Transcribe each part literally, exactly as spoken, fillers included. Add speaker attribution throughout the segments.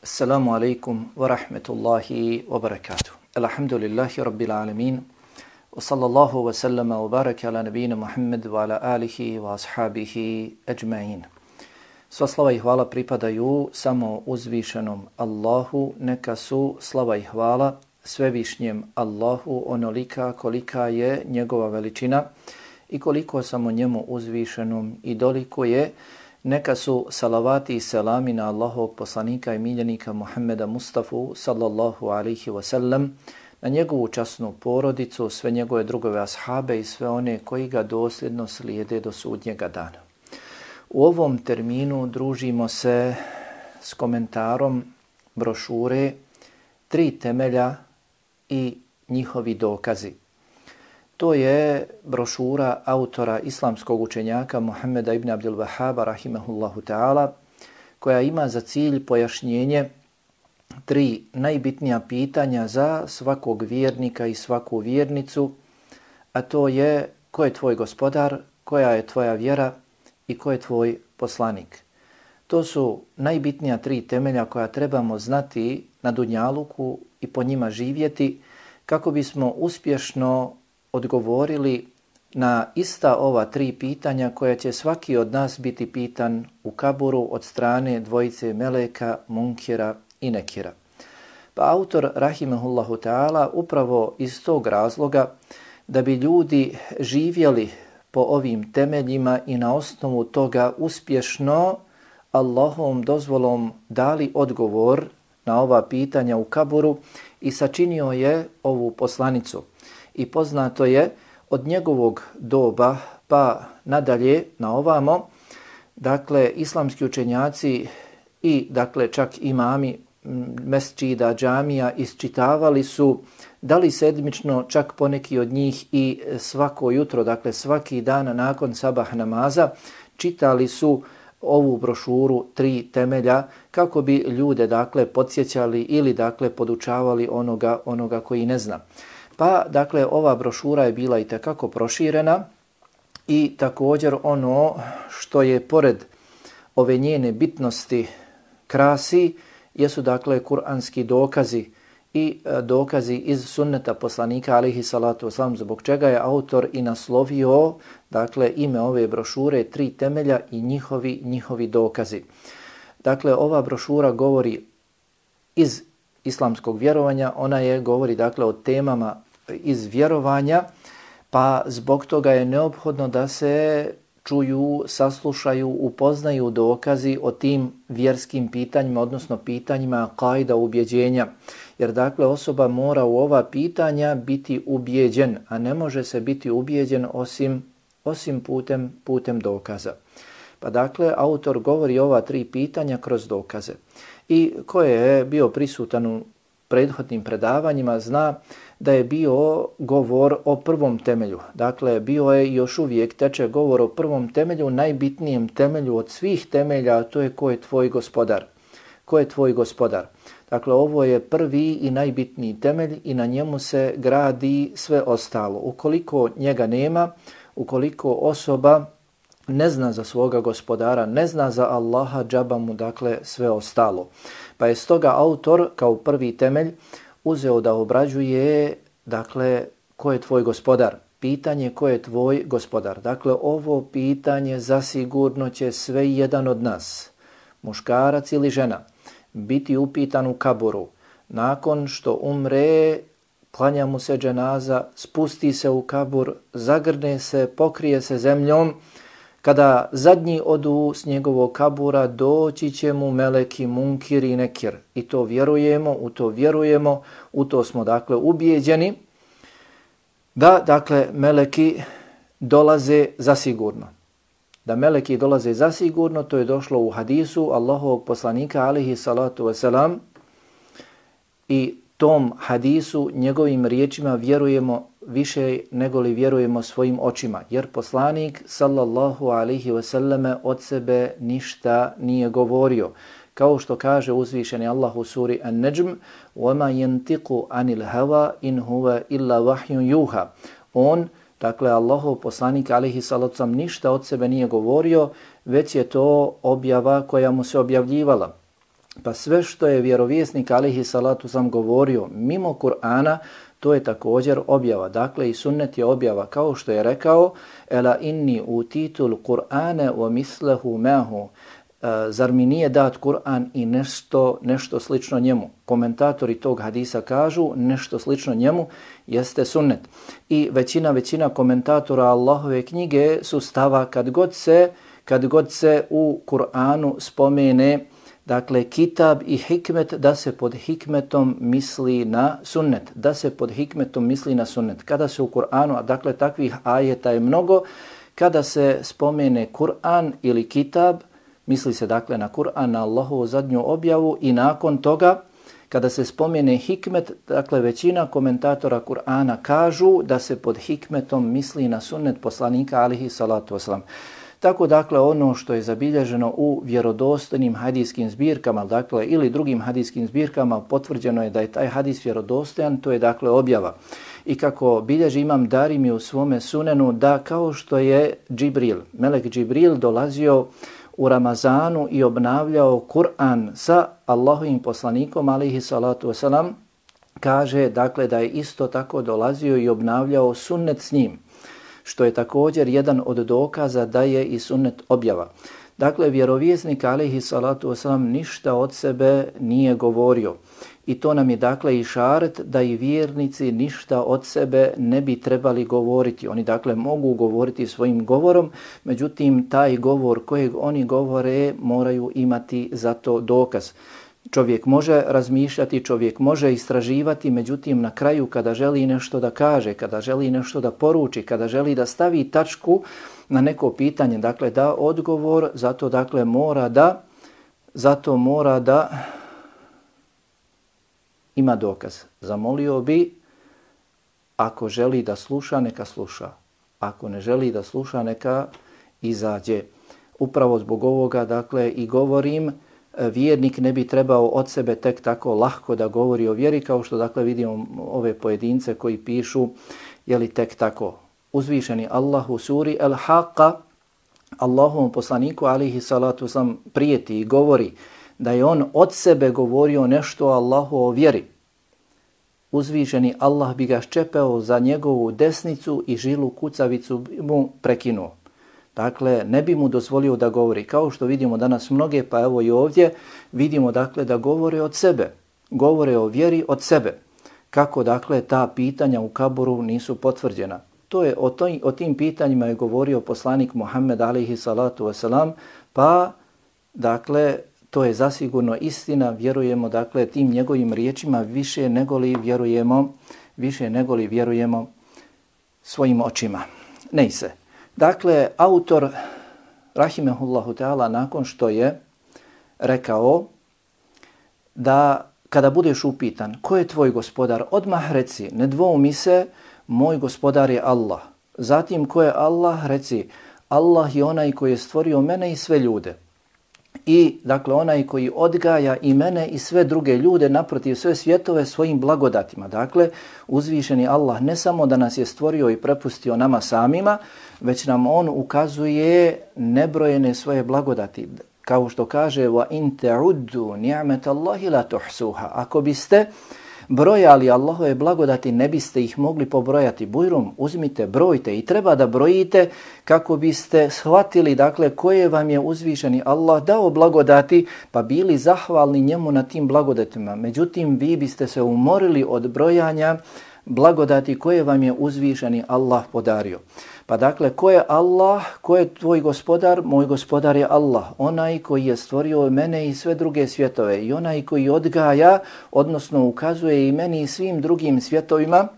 Speaker 1: Assalamu alaikum wa rahmetullahi wa barakatuh. Alhamdulillahi rabbil alamin. Wa sallallahu wa sallama wa baraka ala nabina Muhammad wa ala alihi wa ashabihi ajma'in. Sva slava i hvala pripadaju samo uzvišenom Allahu, neka su slava i hvala svevišnjem Allahu onolika kolika je njegova veličina i koliko samo njemu uzvišenom i doliko je. Neka su salavati i selami na Allahovog poslanika i miljenika Muhammeda Mustafa sallallahu alaihi wa sallam, na njegovu časnu porodicu, sve njegove drugove ashabe i sve one koji ga dosljedno slijede do sudnjega dana. U ovom terminu družimo se s komentarom brošure Tri temelja i njihovi dokazi. To je brošura autora islamskog učenjaka Muhammeda ibn Abdul Wahhaba rahimahullahu ta'ala, koja ima za cilj pojašnjenje tri najbitnija pitanja za svakog vjernika i svaku vjernicu, a to je ko je tvoj gospodar, koja je tvoja vjera i ko je tvoj poslanik. To su najbitnija tri temelja koja trebamo znati na dunjaluku i po njima živjeti kako bismo uspješno odgovorili na ista ova tri pitanja koja će svaki od nas biti pitan u kaburu od strane dvojice meleka, munkira i nekira. Pa autor rahimahullahu ta'ala upravo iz tog razloga da bi ljudi živjeli po ovim temeljima i na osnovu toga uspješno Allahovom dozvolom dali odgovor na ova pitanja u kaburu i sačinio je ovu poslanicu. I poznato je od njegovog doba pa nadalje na ovamo, dakle islamski učenjaci i dakle čak imami mesdžida, džamija isčitavali su da li sedmično, čak poneki od njih i svako jutro, dakle svaki dan nakon sabah namaza, čitali su ovu brošuru Tri temelja kako bi ljude dakle podsjećali ili dakle podučavali onoga, onoga koji ne zna. Pa, dakle, ova brošura je bila i tekako proširena i također ono što je pored ove njene bitnosti krasi jesu, dakle, kuranski dokazi i dokazi iz sunneta poslanika, alejhi salatu vesselam, zbog čega je autor i naslovio, dakle, ime ove brošure Tri temelja i njihovi, njihovi dokazi. Dakle, ova brošura govori iz islamskog vjerovanja, ona je govori, dakle, o temama iz vjerovanja, pa zbog toga je neophodno da se čuju, saslušaju, upoznaju dokazi o tim vjerskim pitanjima, odnosno pitanjima kaida ubjeđenja. Jer dakle osoba mora u ova pitanja biti ubjeđen, a ne može se biti ubjeđen osim, osim putem, putem dokaza. Pa dakle autor govori ova tri pitanja kroz dokaze. I ko je bio prisutan u prethodnim predavanjima zna da je bio govor o prvom temelju. Dakle, bio je još uvijek teče govor o prvom temelju, najbitnijem temelju od svih temelja, a to je ko je tvoj gospodar. Ko je tvoj gospodar? Dakle, ovo je prvi i najbitniji temelj i na njemu se gradi sve ostalo. Ukoliko njega nema, ukoliko osoba ne zna za svoga gospodara, ne zna za Allaha, džaba mu dakle sve ostalo. Pa je stoga autor kao prvi temelj uzeo da obrađuje, dakle, ko je tvoj gospodar? Pitanje ko je tvoj gospodar. Dakle, ovo pitanje zasigurno će sve jedan od nas, muškarac ili žena, biti upitan u kaburu. Nakon što umre, klanja mu se dženaza, spusti se u kabur, zagrne se, pokrije se zemljom. Kada zadnji odu s njegovog kabura, doći će mu meleki, munkir i nekir. I to vjerujemo, u to vjerujemo, u to smo dakle ubijeđeni da dakle meleki dolaze zasigurno. Da meleki dolaze zasigurno, to je došlo u hadisu Allahovog poslanika alejhi salatu vesselam i tom hadisu, njegovim riječima vjerujemo više nego li vjerujemo svojim očima. Jer poslanik sallallahu alejhi ve selleme od sebe ništa nije govorio. Kao što kaže uzvišeni Allah u suri An-Najm, وَمَا يَنْتِقُ عَنِ الْهَوَا إِنْ هُوَ إِلَّا وَحْيٌ يُوحَى. On, dakle Allahov poslanik alejhi salatu vesselam, ništa od sebe nije govorio, već je to objava koja mu se objavljivala. Pa sve što je vjerovjesnik alejhi salatu sam govorio mimo Kur'ana, to je također objava. Dakle, i sunnet je objava. Kao što je rekao, ela inni utitul Kur'ane wa mislehu mahu. Zar mi nije dat Kur'an i nešto, nešto slično njemu? Komentatori tog hadisa kažu nešto slično njemu jeste sunnet. I većina, većina komentatora Allahove knjige su stava kad god se, kad god se u Kur'anu spomene dakle kitab i hikmet, da se pod hikmetom misli na sunnet. Da se pod hikmetom misli na sunnet. Kada se u Kur'anu, a dakle takvih ajeta je mnogo, kada se spomene Kur'an ili kitab, misli se dakle na Kur'an, na Allahovu zadnju objavu i nakon toga kada se spomene hikmet, dakle većina komentatora Kur'ana kažu da se pod hikmetom misli na sunnet poslanika alejhi salatu vesselam. Tako dakle ono što je zabilježeno u vjerodostojnim hadijskim zbirkama, dakle ili drugim hadijskim zbirkama, potvrđeno je da je taj hadis vjerodostojan, to je dakle objava. I kako bilježi Imam Darimi u svome sunenu, da kao što je Džibril, melek Džibril dolazio u Ramazanu i obnavljao Kur'an sa Allahovim poslanikom alejhi salatu vesselam, kaže dakle da je isto tako dolazio i obnavljao sunnet s njim, što je također jedan od dokaza da je i sunnet objava. Dakle, vjerovjesnik alejhi salatu vesselam ništa od sebe nije govorio. I to nam je dakle išaret da i vjernici ništa od sebe ne bi trebali govoriti. Oni dakle mogu govoriti svojim govorom, međutim taj govor kojeg oni govore moraju imati za to dokaz. Čovjek može razmišljati, čovjek može istraživati, međutim na kraju kada želi nešto da kaže, kada želi nešto da poruči, kada želi da stavi tačku na neko pitanje, dakle da odgovor, zato dakle mora da, zato mora da ima dokaz. Zamolio bi, ako želi da sluša, neka sluša. Ako ne želi da sluša, neka izađe. Upravo zbog ovoga, dakle, i govorim, vjernik ne bi trebao od sebe tek tako lahko da govori o vjeri, kao što, dakle, vidimo ove pojedince koji pišu, jeli tek tako. Uzvišeni Allah u suri El-Haqqa, Allahovom poslaniku, alejhi salatu vesselam, prijeti i govori da je on od sebe govorio nešto o Allahu o vjeri. Uzvišeni Allah bi ga ščepeo za njegovu desnicu i žilu kucavicu mu prekinuo. Dakle, ne bi mu dozvolio da govori. Kao što vidimo danas mnoge, pa evo i ovdje, vidimo dakle da govore od sebe. Govore o vjeri od sebe. Kako dakle ta pitanja u kaboru nisu potvrđena. To je, o, toj, o tim pitanjima je govorio poslanik Muhammed alejhi salatu vesselam, pa dakle to je zasigurno istina, vjerujemo dakle tim njegovim riječima više nego li vjerujemo, više nego li vjerujemo svojim očima. Ne se. Dakle, autor rahimehullahu ta'ala nakon što je rekao da kada budeš upitan ko je tvoj gospodar, odmah reci, ne dvoumi se, moj gospodar je Allah. Zatim ko je Allah, reci, Allah je onaj koji je stvorio mene i sve ljude. I dakle onaj koji odgaja i mene i sve druge ljude, naprotiv sve svjetove svojim blagodatima. Dakle, uzvišeni Allah ne samo da nas je stvorio i prepustio nama samima, već nam on ukazuje nebrojene svoje blagodati. Kao što kaže wa in ta'uddu ni'matallahi la tuhsuha. Ako biste brojali Allahove blagodati, ne biste ih mogli pobrojati. Bujrum, uzmite, brojite i treba da brojite kako biste shvatili dakle koje vam je uzvišeni Allah dao blagodati, pa bili zahvalni njemu na tim blagodatima. Međutim, vi biste se umorili od brojanja blagodati koje vam je uzvišeni Allah podario. Pa dakle, ko je Allah, ko je tvoj gospodar? Moj gospodar je Allah, onaj koji je stvorio mene i sve druge svjetove i onaj koji odgaja, odnosno ukazuje i meni i svim drugim svjetovima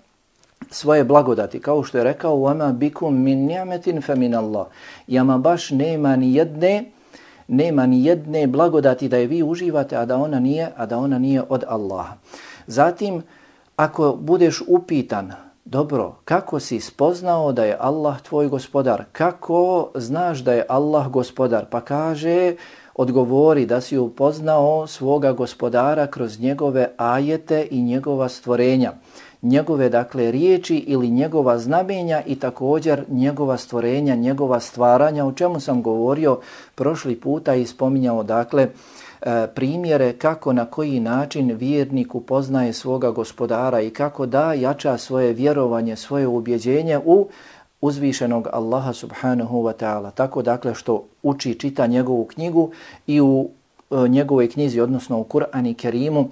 Speaker 1: svoje blagodati. Kao što je rekao, وَمَا بِكُمْ مِنْ نِعْمَةٍ فَمِنَ اللَّهِ. Jama baš nema ni jedne, nema ni jedne blagodati da je vi uživate, a da ona nije, a da ona nije od Allaha. Zatim, ako budeš upitan, dobro, kako si spoznao da je Allah tvoj gospodar? Kako znaš da je Allah gospodar? Pa kaže, odgovori da si upoznao svoga gospodara kroz njegove ajete i njegova stvorenja. Njegove, dakle, riječi ili njegova znamenja i također njegova stvorenja, njegova stvaranja, o čemu sam govorio prošli puta i spominjao, dakle, e, primjere kako na koji način vjernik upoznaje svoga gospodara i kako da jača svoje vjerovanje, svoje ubjeđenje u uzvišenog Allaha subhanahu wa ta'ala. Tako dakle što uči, čita njegovu knjigu i u njegovoj knjizi, odnosno u Kur'anu i Kerimu,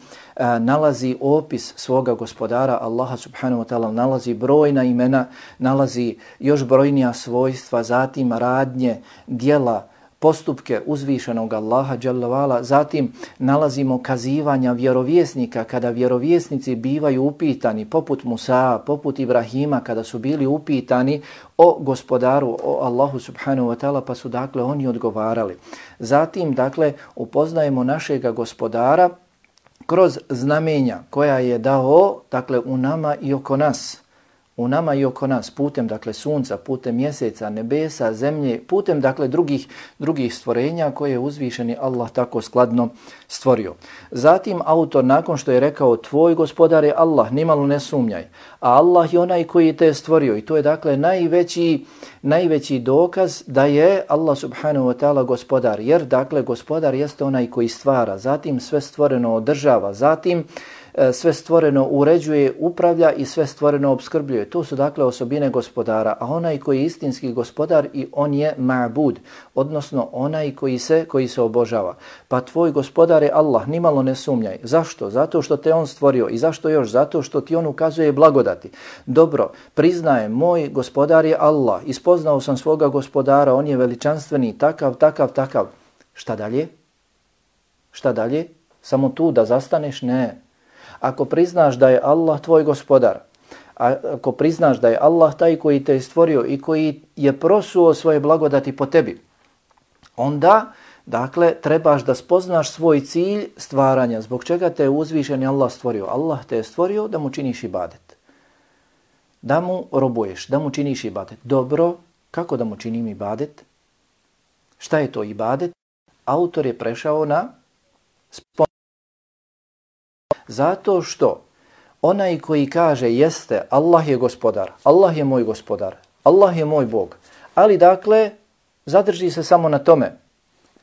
Speaker 1: nalazi opis svoga gospodara Allaha subhanahu wa ta'ala, nalazi brojna imena, nalazi još brojnija svojstva, zatim radnje, djela, postupke uzvišenog Allaha dželle ve ala, zatim nalazimo kazivanja vjerovjesnika kada vjerovjesnici bivaju upitani, poput Musa, poput Ibrahima, kada su bili upitani o gospodaru, o Allahu subhanahu wa ta'ala, pa su dakle oni odgovarali. Zatim dakle upoznajemo našega gospodara kroz znamenja koja je dao dakle u nama i oko nas. U nama i oko nas, putem dakle sunca, putem mjeseca, nebesa, zemlje, putem dakle drugih drugih stvorenja koje je uzvišeni Allah tako skladno stvorio. Zatim autor nakon što je rekao tvoj gospodar je Allah, nimalo ne sumnjaj, a Allah je onaj koji te je stvorio i to je dakle najveći najveći dokaz da je Allah subhanahu wa ta'ala gospodar, jer dakle gospodar jeste onaj koji stvara, zatim sve stvoreno održava, zatim sve stvoreno uređuje, upravlja i sve stvoreno opskrbljuje. To su dakle osobine gospodara, a onaj koji je istinski gospodar i on je ma'bud, odnosno onaj koji se koji se obožava. Pa tvoj gospodar je Allah, nimalo ne sumnjaj. Zašto? Zato što te on stvorio. I zašto još? Zato što ti on ukazuje blagodati. Dobro, priznajem, moj gospodar je Allah, ispoznao sam svoga gospodara, on je veličanstveni, takav, takav, takav. Šta dalje? Šta dalje? Samo tu da zastaneš? Ne. Ako priznaš da je Allah tvoj gospodar, ako priznaš da je Allah taj koji te je stvorio i koji je prosuo svoje blagodati po tebi, onda, dakle, trebaš da spoznaš svoj cilj stvaranja. Zbog čega te je uzvišeni Allah stvorio? Allah te je stvorio da mu činiš ibadet. Da mu robuješ, da mu činiš ibadet. Dobro, kako da mu činim ibadet? Šta je to ibadet? Autor je prešao na spomenuti. Zato što onaj koji kaže jeste, Allah je gospodar, Allah je moj gospodar, Allah je moj Bog, ali dakle zadrži se samo na tome,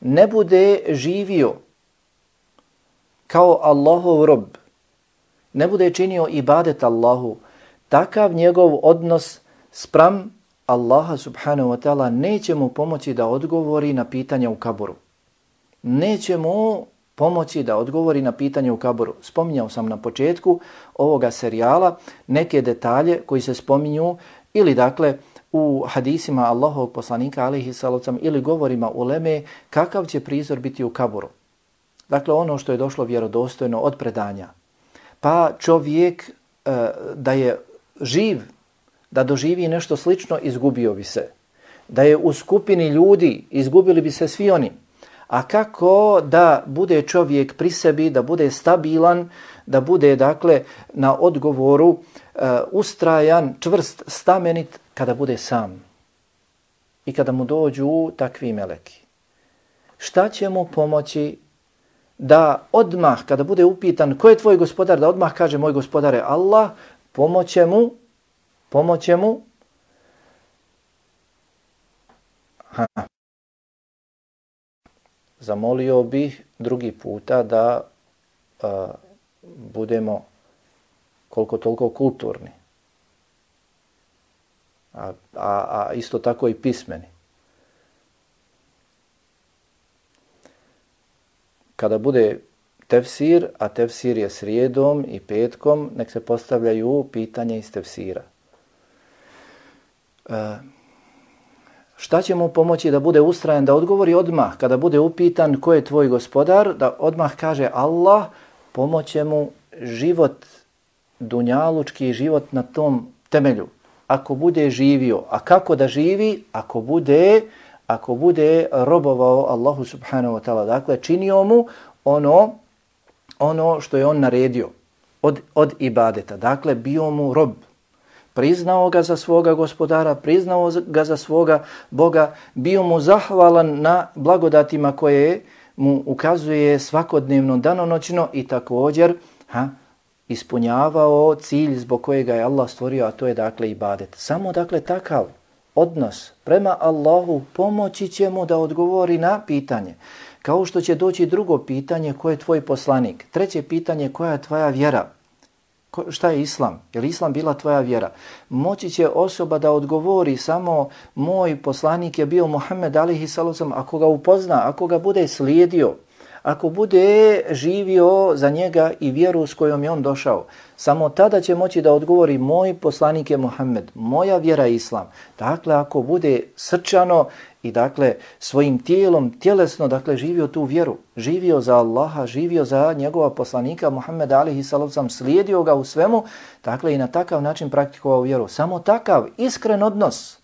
Speaker 1: ne bude živio kao Allahov rob, ne bude činio ibadet Allahu, takav njegov odnos spram Allaha subhanahu wa ta'ala neće mu pomoći da odgovori na pitanja u kaburu. Neće mu pomoći da odgovori na pitanje u kaburu. Spominjao sam na početku ovoga serijala neke detalje koji se spominju ili dakle u hadisima Allahovog poslanika alejhi salatu ili govorima uleme kakav će prizor biti u kaburu. Dakle ono što je došlo vjerodostojno od predanja. Pa čovjek e, da je živ, da doživi nešto slično, izgubio bi se. Da je u skupini ljudi, izgubili bi se svi oni. A kako da bude čovjek pri sebi, da bude stabilan, da bude dakle na odgovoru uh, ustrajan, čvrst, stamenit kada bude sam i kada mu dođu takvi meleki. Šta će mu pomoći da odmah, kada bude upitan ko je tvoj gospodar, da odmah kaže moj gospodar je Allah, pomoće mu, pomoće mu ha. Zamolio bih drugi puta da uh, budemo koliko toliko kulturni, a, a, a isto tako i pismeni. Kada bude tefsir, a tefsir je srijedom i petkom, nek se postavljaju pitanja iz tefsira. Uh, Šta će mu pomoći da bude ustrajan, da odgovori odmah, kada bude upitan ko je tvoj gospodar, da odmah kaže Allah, pomoće mu život, dunjalučki život na tom temelju. Ako bude živio, a kako da živi? Ako bude, ako bude robovao Allahu subhanahu wa ta'ala, dakle činio mu ono, ono što je on naredio od, od ibadeta, dakle bio mu rob. Priznao ga za svoga gospodara, priznao ga za svoga Boga, bio mu zahvalan na blagodatima koje mu ukazuje svakodnevno, danonoćno i također ha, ispunjavao cilj zbog kojega je Allah stvorio, a to je dakle ibadet. Samo dakle takav odnos prema Allahu pomoći će mu da odgovori na pitanje. Kao što će doći drugo pitanje, ko je tvoj poslanik? Treće pitanje, koja je tvoja vjera? Ko, šta je islam? Je li islam bila tvoja vjera? Moći će osoba da odgovori samo moj poslanik je bio Muhammed alejhi salatu, ako ga upozna, ako ga bude slijedio, ako bude živio za njega i vjeru s kojom je on došao, samo tada će moći da odgovori moj poslanik je Muhammed, moja vjera je islam. Dakle, ako bude srčano i dakle svojim tijelom, tjelesno, dakle živio tu vjeru, živio za Allaha, živio za njegova poslanika Muhammeda alejhi salatu, slijedio ga u svemu, dakle i na takav način praktikovao vjeru. Samo takav iskren odnos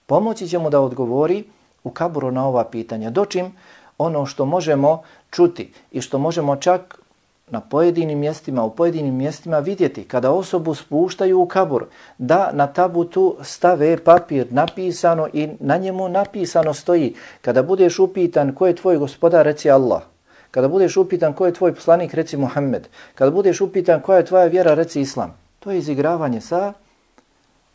Speaker 1: pomoći će mu da odgovori u kaburu na ova pitanja. Dočim ono što možemo čuti i što možemo čak na pojedinim mjestima, u pojedinim mjestima vidjeti, kada osobu spuštaju u kabur, da na tabutu stave papir napisano i na njemu napisano stoji, kada budeš upitan ko je tvoj gospodar, reci Allah. Kada budeš upitan ko je tvoj poslanik, reci Muhammed. Kada budeš upitan koja je tvoja vjera, reci Islam. To je izigravanje sa,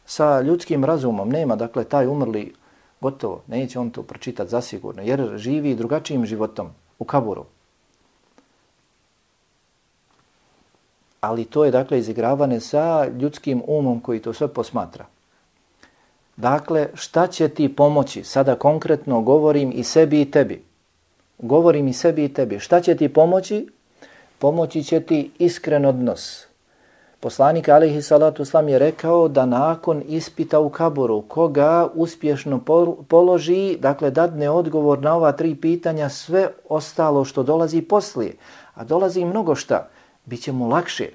Speaker 1: sa ljudskim razumom. Nema, dakle, taj umrli gotovo, neće on to pročitati zasigurno, jer živi drugačijim životom u kaburu. Ali to je, dakle, izigravane sa ljudskim umom koji to sve posmatra. Dakle, šta će ti pomoći? Sada konkretno govorim i sebi i tebi. Govorim i sebi i tebi. Šta će ti pomoći? Pomoći će ti iskren odnos. Poslanik alejhi salatu vesselam je rekao da nakon ispita u kaburu, koga uspješno položi, dakle dadne odgovor na ova tri pitanja, sve ostalo što dolazi poslije, a dolazi mnogo šta, bit će mu lakše.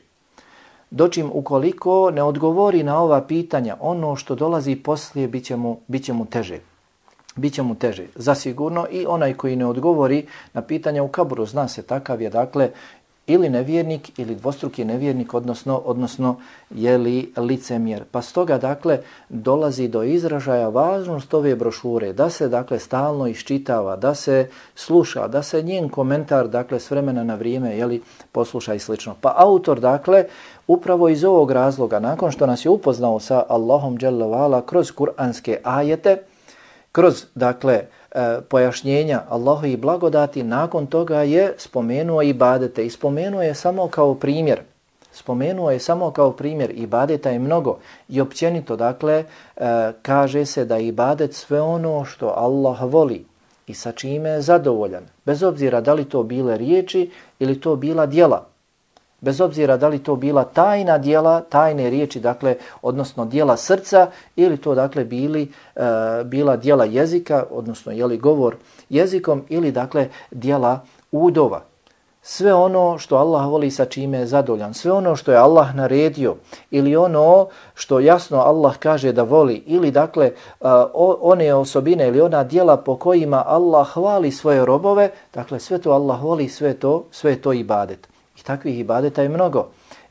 Speaker 1: Dočim ukoliko ne odgovori na ova pitanja, ono što dolazi poslije bit će mu, bit će mu teže. Biće mu teže, zasigurno, i onaj koji ne odgovori na pitanja u kaburu, zna se, takav je, dakle, ili nevjernik ili dvostruki nevjernik, odnosno, odnosno je li licemjer. Pa stoga, dakle, dolazi do izražaja važnost ove brošure, da se, dakle, stalno iščitava, da se sluša, da se njen komentar, dakle, s vremena na vrijeme, je li, posluša i slično. Pa autor, dakle, upravo iz ovog razloga, nakon što nas je upoznao sa Allahom dželle ve ala kroz kuranske ajete, kroz, dakle, e, pojašnjenja Allahovi blagodati, nakon toga je spomenuo ibadete i spomenuo je samo kao primjer. Spomenuo je samo kao primjer, ibadeta je mnogo i općenito, dakle, e, kaže se da ibadet sve ono što Allah voli i sa čime je zadovoljan, bez obzira da li to bile riječi ili to bila djela. Bez obzira da li to bila tajna djela, tajne riječi, dakle, odnosno djela srca, ili to, dakle, bili, e, bila djela jezika, odnosno, jeli, govor jezikom, ili, dakle, djela udova. Sve ono što Allah voli, sa čime je zadovoljan, sve ono što je Allah naredio, ili ono što jasno Allah kaže da voli, ili, dakle, e, one osobine ili ona djela po kojima Allah hvali svoje robove, dakle, sve to Allah voli, sve to, sve to ibadet. I takvih ibadeta je mnogo.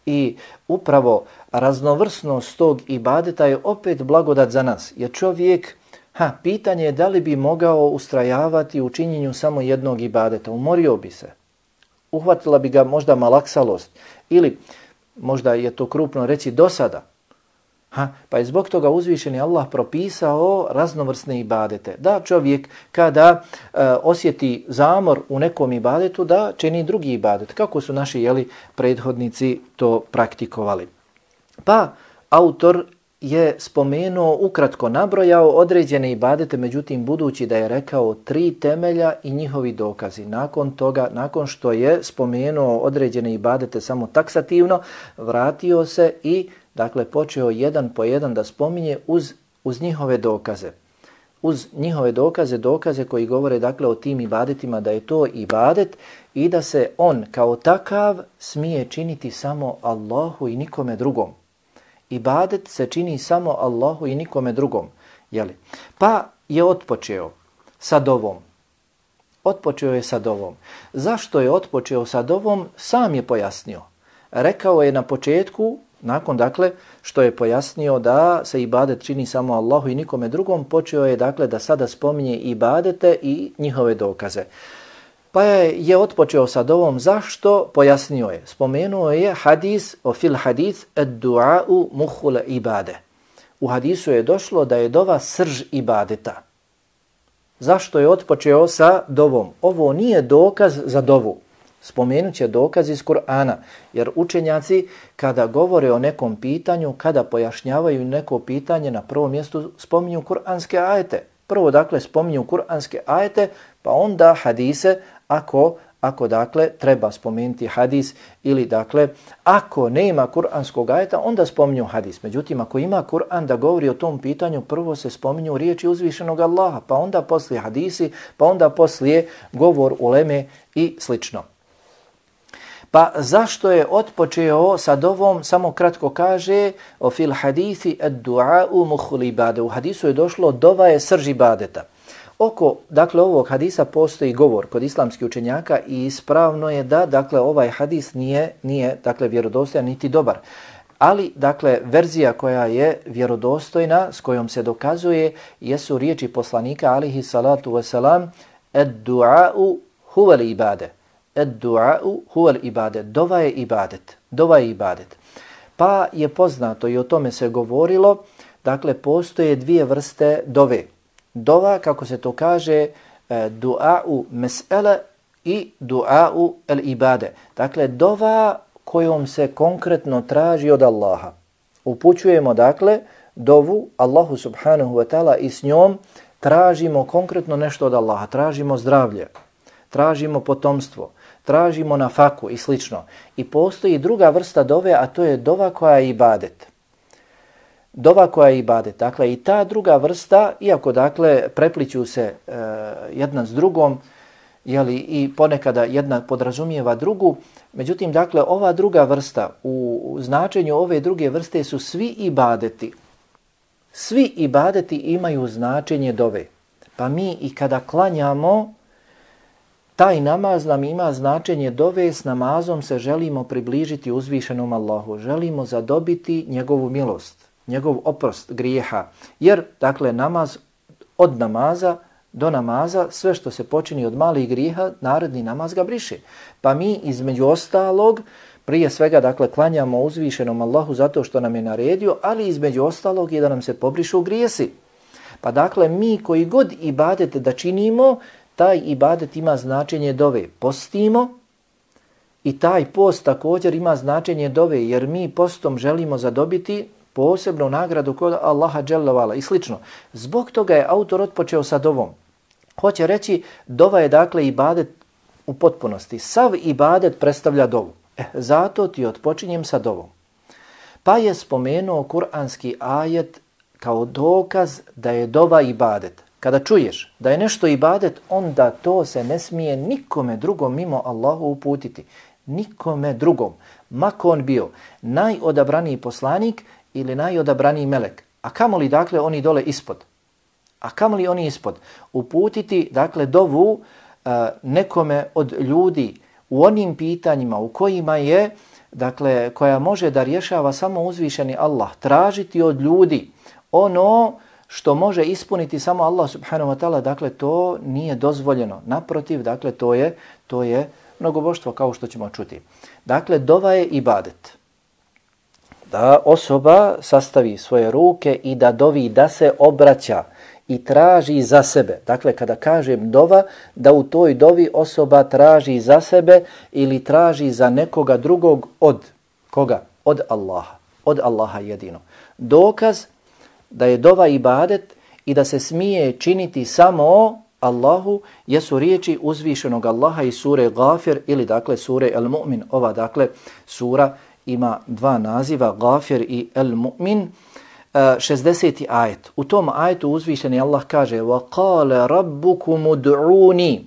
Speaker 1: I upravo raznovrsnost tog ibadeta je opet blagodat za nas. Jer čovjek, ha, pitanje je da li bi mogao ustrajavati u činjenju samo jednog ibadeta. Umorio bi se. Uhvatila bi ga možda malaksalost. Ili možda je to krupno reći dosada. Ha, pa je zbog toga uzvišeni Allah propisao raznovrsne ibadete. Da čovjek kada e, osjeti zamor u nekom ibadetu, da čini drugi ibadet. Kako su naši, jeli, prethodnici to praktikovali. Pa autor je spomenuo, ukratko nabrojao određene ibadete, međutim budući da je rekao tri temelja i njihovi dokazi. Nakon toga, nakon što je spomenuo određene ibadete samo taksativno, vratio se i, dakle, počeo jedan po jedan da spominje uz, uz njihove dokaze. Uz njihove dokaze, dokaze koji govore, dakle, o tim ibadetima, da je to ibadet i da se on kao takav smije činiti samo Allahu i nikome drugom. Ibadet se čini samo Allahu i nikome drugom. Jeli? Pa je otpočeo sa dovom. Otpočeo je sa dovom. Zašto je otpočeo sa dovom? Sam je pojasnio. Rekao je na početku, nakon, dakle, što je pojasnio da se ibadet čini samo Allahu i nikome drugom, počeo je, dakle, da sada spominje ibadete i njihove dokaze. Pa je otpočeo sa dovom. Zašto? Pojasnio je. Spomenuo je hadis, o fil hadis, ad-du'a'u muhul ibade. U hadisu je došlo da je dova srž ibadeta. Zašto je otpočeo sa dovom? Ovo nije dokaz za dovu. Spomenut će dokaz iz Kur'ana, jer učenjaci kada govore o nekom pitanju, kada pojašnjavaju neko pitanje, na prvom mjestu spominju kur'anske ajete. Prvo dakle spominju kur'anske ajete, pa onda hadise, ako, ako dakle treba spomenuti hadis ili dakle ako nema kur'anskog ajeta, onda spominju hadis. Međutim, ako ima Kur'an da govori o tom pitanju, prvo se spominju riječi uzvišenog Allaha, pa onda poslije hadisi, pa onda poslije govor uleme i slično. Pa zašto je otpočeo sa dovom? Samo kratko kaže o fil hadithi ad-du'a'u mukhul ibade. U hadisu je došlo dova je srž ibadeta. Oko dakle ovog hadisa postoji govor kod islamskih učenjaka i ispravno je da dakle ovaj hadis nije nije dakle vjerodostojan niti dobar. Ali dakle verzija koja je vjerodostojna, s kojom se dokazuje, jesu riječi poslanika alejhi salatu vesselam ad-du'a'u huwa al-ibade. Ad-du'a'u huwa al-ibadet. Dova je ibadet. Dova je ibadet. Pa je poznato i o tome se govorilo, dakle postoje dvije vrste dove. Dova, kako se to kaže, du'a'u mes'ele i du'a'u al-ibade. Dakle, dova kojom se konkretno traži od Allaha. Upućujemo, dakle, dovu Allahu subhanahu wa ta'ala i s njom tražimo konkretno nešto od Allaha. Tražimo zdravlje, tražimo potomstvo, tražimo nafaku i slično. I postoji druga vrsta dove, a to je dova koja je ibadet. Dova koja je ibadet. Dakle, i ta druga vrsta, iako dakle prepliću se e, jedna s drugom, jeli, i ponekada jedna podrazumijeva drugu, međutim, dakle, ova druga vrsta, u, u značenju ove druge vrste su svi ibadeti. Svi ibadeti imaju značenje dove. Pa mi i kada klanjamo, taj namaz nam ima značenje dove, s namazom se želimo približiti uzvišenom Allahu, želimo zadobiti njegovu milost, njegov oprost grijeha. Jer, dakle, namaz od namaza do namaza, sve što se počini od malih grijeha, naredni namaz ga briše. Pa mi između ostalog, prije svega, dakle, klanjamo uzvišenom Allahu zato što nam je naredio, ali između ostalog je da nam se pobrišu grijesi. Pa dakle, mi koji god ibadet da činimo, taj ibadet ima značenje dove. Postimo i taj post također ima značenje dove, jer mi postom želimo zadobiti posebnu nagradu kod Allaha dželle vala i slično. Zbog toga je autor otpočeo sa dovom. Hoće reći, dova je dakle ibadet u potpunosti. Sav ibadet predstavlja dovu. E, zato ti otpočinjem sa dovom. Pa je spomenuo kuranski ajet kao dokaz da je dova ibadet. Kada čuješ da je nešto ibadet, onda to se ne smije nikome drugom mimo Allahu uputiti. Nikome drugom. Mako on bio najodabraniji poslanik ili najodabraniji melek. A kamoli dakle oni dole ispod? A kamoli oni ispod? Uputiti dakle dovu uh, nekome od ljudi u onim pitanjima u kojima je, dakle, koja može da rješava samo uzvišeni Allah. Tražiti od ljudi ono što može ispuniti samo Allah subhanahu wa ta'ala, dakle to nije dozvoljeno. Naprotiv, dakle to je, to je mnogoboštvo kao što ćemo čuti. Dakle, dova je ibadet. Da osoba sastavi svoje ruke i da dovi, da se obraća i traži za sebe. Dakle, kada kažem dova, da u toj dovi osoba traži za sebe ili traži za nekoga drugog od koga? Od Allaha. Od Allaha jedino. Dokaz da je dova ibadet i da se smije činiti samo Allahu jesu riječi uzvišenog Allaha iz sure Gafir ili dakle sure Al-Mu'min. Ova dakle sura ima dva naziva, Gafir i Al-Mu'min. šezdeseti ajet. U tom ajetu uzvišeni Allah kaže وَقَالَ رَبُّكُمُ دُعُونِ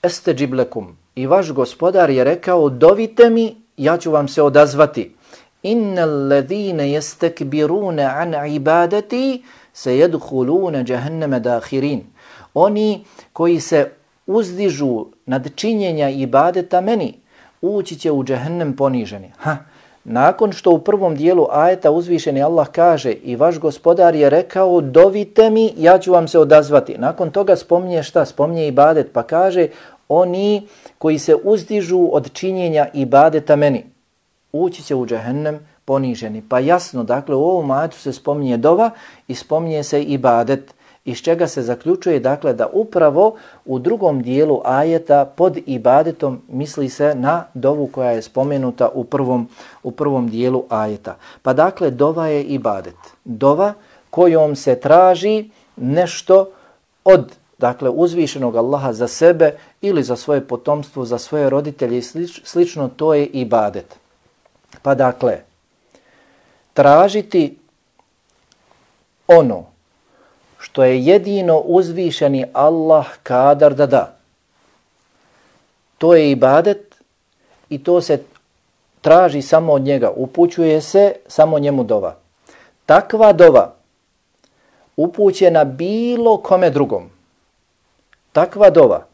Speaker 1: أَسْتَجِبْ لَكُمْ. I vaš gospodar je rekao, dovite mi, ja ću vam se odazvati. Inna alladhina yastakbiruna an ibadati sayadkhuluna jahannama dakhirin. Oni koji se uzdižu nad činjenja ibadeta meni, ući će u džehennem poniženi. Ha. Nakon što u prvom dijelu ajeta uzvišeni Allah kaže i vaš gospodar je rekao dovite mi, ja ću vam se odazvati. Nakon toga spominje šta? Spominje ibadet pa kaže oni koji se uzdižu od činjenja ibadeta meni, ući će u džehennem poniženi. Pa jasno, dakle u ovom ajetu se spominje dova i spominje se ibadet. iz čega se zaključuje dakle da upravo u drugom dijelu ajeta pod ibadetom misli se na dovu koja je spomenuta u prvom, u prvom dijelu ajeta. Pa dakle dova je ibadet. Dova kojom se traži nešto od dakle uzvišenog Allaha za sebe ili za svoje potomstvo, za svoje roditelje i slič, slično, to je ibadet. Pa dakle, tražiti ono što je jedino uzvišeni Allah kadar da da. To je ibadet i to se traži samo od njega, upućuje se samo njemu dova. Takva dova upućena bilo kome drugom. Takva dova,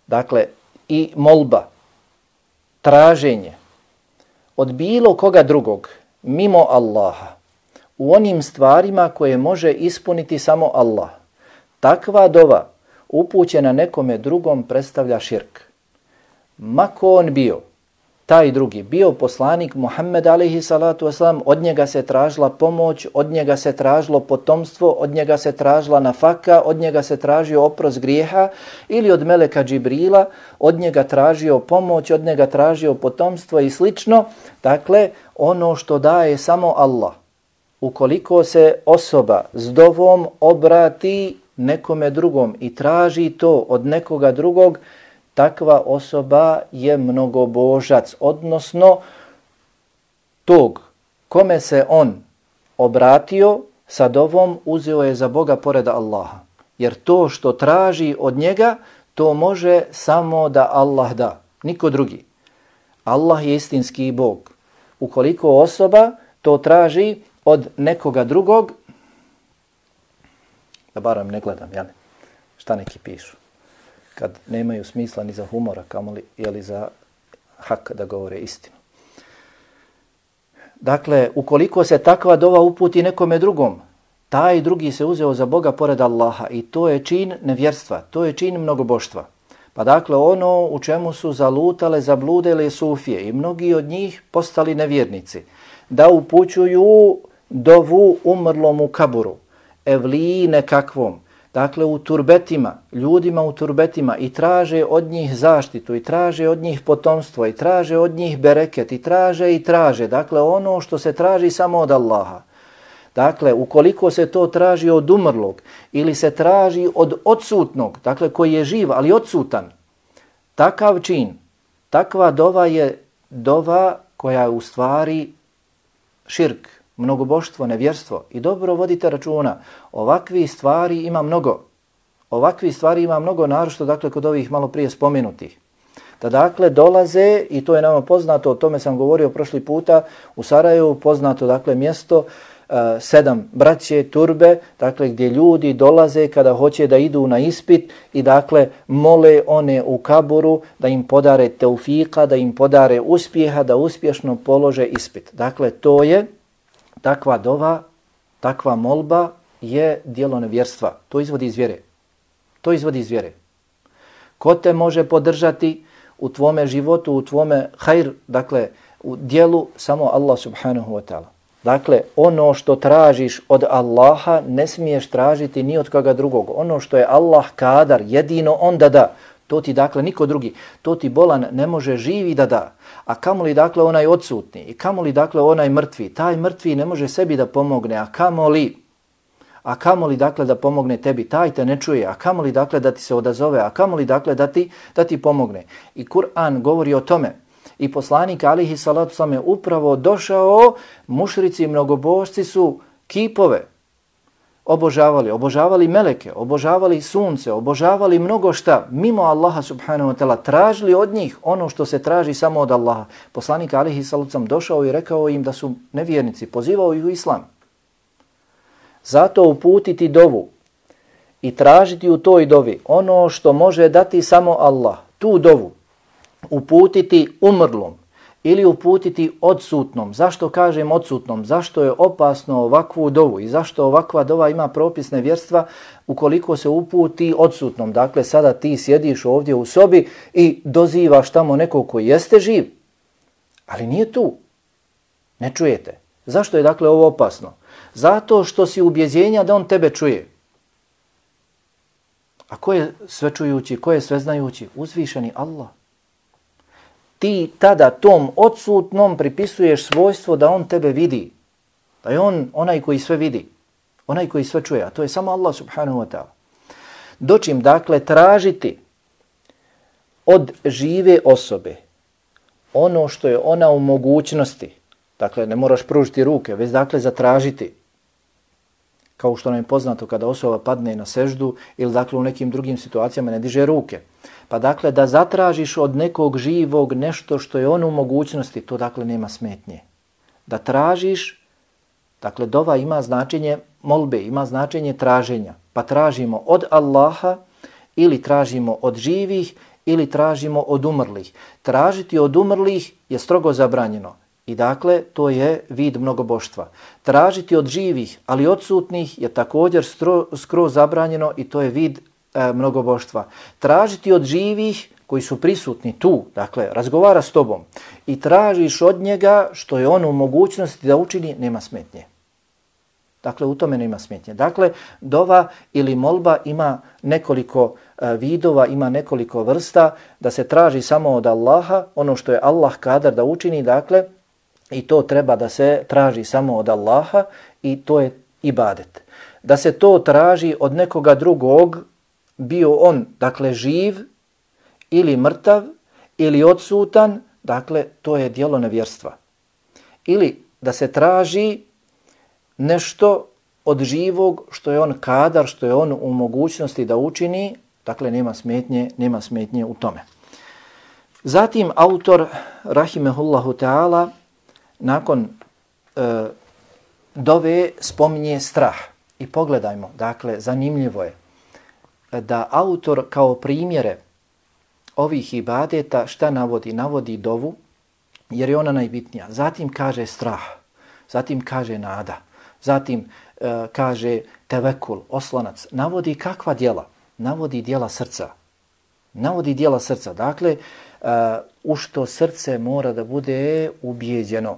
Speaker 1: dakle i molba, traženje od bilo koga drugog mimo Allaha u onim stvarima koje može ispuniti samo Allah. Takva dova upućena nekome drugom predstavlja širk. Mako on bio, taj drugi, bio poslanik Muhammed alejhi salatu vesselam, od njega se tražila pomoć, od njega se tražilo potomstvo, od njega se tražila nafaka, od njega se tražio oprost grijeha, ili od meleka Džibrila, od njega tražio pomoć, od njega tražio potomstvo i slično. Dakle, ono što daje samo Allah. Ukoliko se osoba s dovom obrati nekome drugom i traži to od nekoga drugog, takva osoba je mnogobožac, odnosno tog kome se on obratio sa dovom uzeo je za Boga pored Allaha. Jer to što traži od njega, to može samo da Allah da, niko drugi. Allah je istinski Bog. Ukoliko osoba to traži od nekoga drugog, da barem ne gledam, jel? Šta neki pišu? Kad nemaju smisla ni za humora, kamoli ili za hak da govore istinu. Dakle, ukoliko se takva dova uputi nekome drugom, taj drugi se uzeo za Boga pored Allaha i to je čin nevjerstva, to je čin mnogoboštva. Pa dakle, ono u čemu su zalutale, zabludele sufije i mnogi od njih postali nevjernici, da upućuju dovu umrlom u kaburu, evliji nekakvom, dakle u turbetima, ljudima u turbetima i traže od njih zaštitu i traže od njih potomstvo i traže od njih bereket i traže i traže. Dakle, ono što se traži samo od Allaha. Dakle, ukoliko se to traži od umrlog ili se traži od odsutnog, dakle koji je živ ali odsutan, takav čin, takva dova je dova koja je u stvari širk, mnogoboštvo, nevjerstvo. I dobro vodite računa, ovakvi stvari ima mnogo. Ovakvi stvari ima mnogo, naročito dakle kod ovih malo prije spomenutih. Da dakle dolaze, i to je nama poznato, o tome sam govorio prošli puta, u Sarajevu poznato dakle mjesto, uh, sedam braće, turbe, dakle gdje ljudi dolaze kada hoće da idu na ispit i dakle mole one u kaburu da im podare teufika, da im podare uspjeha, da uspješno polože ispit. Dakle, to je takva dova, takva molba je djelo nevjerstva. To izvodi iz vjere. To izvodi iz vjere. Ko te može podržati u tvome životu, u tvome hajr, dakle u djelu, samo Allah subhanahu wa ta'ala. Dakle, ono što tražiš od Allaha ne smiješ tražiti ni od koga drugog. Ono što je Allah kadar, jedino on da da. To ti dakle niko drugi, to ti bolan ne može živi da da. A kamoli dakle onaj odsutni i kamoli dakle onaj mrtvi, taj mrtvi ne može sebi da pomogne, a kamoli, a kamoli dakle da pomogne tebi, taj te ne čuje, a kamoli dakle da ti se odazove, a kamoli dakle da ti, da ti pomogne. I Kur'an govori o tome. I poslanik alejhi salatu selam je upravo došao, mušrici i mnogobožci su kipove obožavali, obožavali meleke, obožavali sunce, obožavali mnogo šta, mimo Allaha subhanahu wa ta'ala, tražili od njih ono što se traži samo od Allaha. Poslanik alejhi salatu selam došao i rekao im da su nevjernici, pozivao ih u islam. Zato uputiti dovu i tražiti u toj dovi ono što može dati samo Allah, tu dovu, uputiti umrlom ili uputiti odsutnom. Zašto kažem odsutnom? Zašto je opasno ovakvu dovu i zašto ovakva dova ima propis nevjerstva ukoliko se uputi odsutnom? Dakle, sada ti sjediš ovdje u sobi i dozivaš tamo nekog koji jeste živ, ali nije tu. Ne čujete. Zašto je dakle ovo opasno? Zato što si ubjeđenja da on tebe čuje. A ko je svečujući, ko je sveznajući? Uzvišeni Allah. Ti tada tom odsutnom pripisuješ svojstvo da on tebe vidi. Da je on onaj koji sve vidi. Onaj koji sve čuje. A to je samo Allah subhanahu wa ta'ala. Dočim, dakle, tražiti od žive osobe ono što je ona u mogućnosti. Dakle, ne moraš pružiti ruke, već dakle zatražiti. Kao što nam je poznato kada osoba padne na seždu ili dakle u nekim drugim situacijama ne diže ruke. Pa dakle da zatražiš od nekog živog nešto što je on u mogućnosti, to dakle nema smetnje. Da tražiš, dakle dova ima značenje molbe, ima značenje traženja. Pa tražimo od Allaha ili tražimo od živih ili tražimo od umrlih. Tražiti od umrlih je strogo zabranjeno. I dakle, to je vid mnogoboštva. Tražiti od živih, ali odsutnih je također stro, skroz zabranjeno i to je vid e, mnogoboštva. Tražiti od živih koji su prisutni tu, dakle, razgovara s tobom i tražiš od njega što je on u mogućnosti da učini, nema smetnje. Dakle, u tome nema smetnje. Dakle, dova ili molba ima nekoliko e, vidova, ima nekoliko vrsta, da se traži samo od Allaha, ono što je Allah kadar da učini, dakle, i to treba da se traži samo od Allaha i to je ibadet. Da se to traži od nekoga drugog, bio on, dakle, živ ili mrtav ili odsutan, dakle, to je djelo nevjerstva. Ili da se traži nešto od živog što je on kadar, što je on u mogućnosti da učini, dakle, nema smetnje, nema smetnje u tome. Zatim, autor, rahimehullahu ta'ala, nakon e, dove spominje strah. I pogledajmo, dakle, zanimljivo je da autor kao primjere ovih ibadeta šta navodi? Navodi dovu, jer je ona najbitnija. Zatim kaže strah, zatim kaže nada, zatim e, kaže tevekul, oslonac. Navodi kakva djela? Navodi djela srca. Navodi djela srca. Dakle, Uh, u što srce mora da bude ubijeđeno.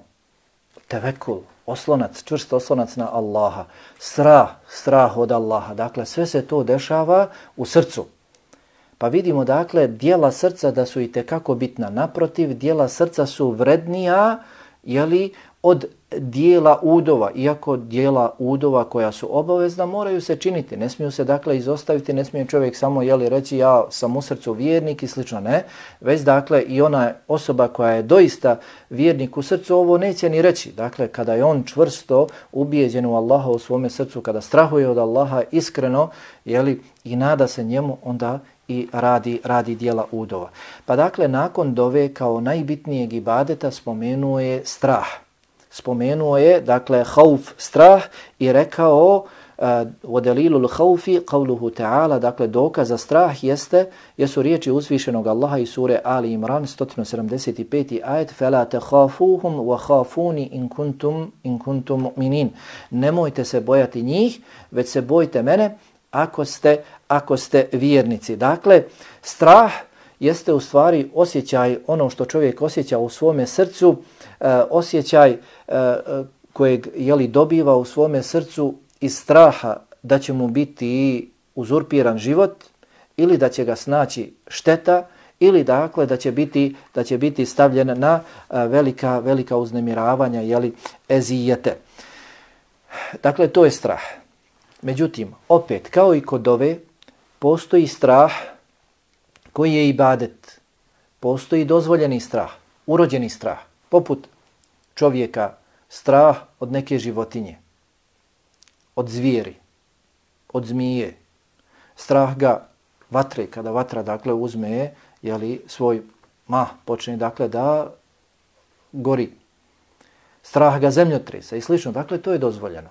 Speaker 1: Tevekul, oslonac, čvrst oslonac na Allaha. Strah, strah od Allaha. Dakle, sve se to dešava u srcu. Pa vidimo, dakle, djela srca da su i tekako bitna. Naprotiv, djela srca su vrednija, jeli, od dijela udova, iako dijela udova koja su obavezna moraju se činiti, ne smiju se dakle izostaviti, ne smije čovjek samo jeli reći ja sam u srcu vjernik i slično, ne, već dakle i ona osoba koja je doista vjernik u srcu ovo neće ni reći, dakle kada je on čvrsto ubijeđen u Allaha u svome srcu, kada strahuje od Allaha iskreno, jeli, i nada se njemu, onda i radi, radi dijela udova. Pa dakle nakon dove kao najbitnijeg ibadeta spomenuo je strah. Spomenuo je, dakle, hauf, strah i rekao u delilul haufi, qavluhu ta'ala, dakle, dokaz za strah jeste, jesu riječi uzvišenog Allaha iz sure Ali Imran, sto sedamdeset peti ajet, فَلَا تَخَافُوهُمْ وَخَافُونِ إِن كُنْتُمْ إِن كُنْتُمْ مُؤْمِنِينَ. Nemojte se bojati njih, već se bojte mene ako ste, ako ste vjernici. Dakle, strah jeste u stvari osjećaj, ono što čovjek osjeća u svome srcu, Uh, osjećaj uh, kojeg jeli, dobiva u svome srcu iz straha da će mu biti uzurpiran život ili da će ga snaći šteta ili dakle da će biti, da će biti stavljen na uh, velika, velika uznemiravanja, jeli, ezijete. Dakle, to je strah. Međutim, opet, kao i kod dove, postoji strah koji je ibadet. Postoji dozvoljeni strah, urođeni strah. Poput čovjeka strah od neke životinje, od zvijeri, od zmije. Strah ga vatre, kada vatra dakle uzme, jeli, svoj mah, počne dakle da gori. Strah ga zemljotresa i slično. Dakle, to je dozvoljeno.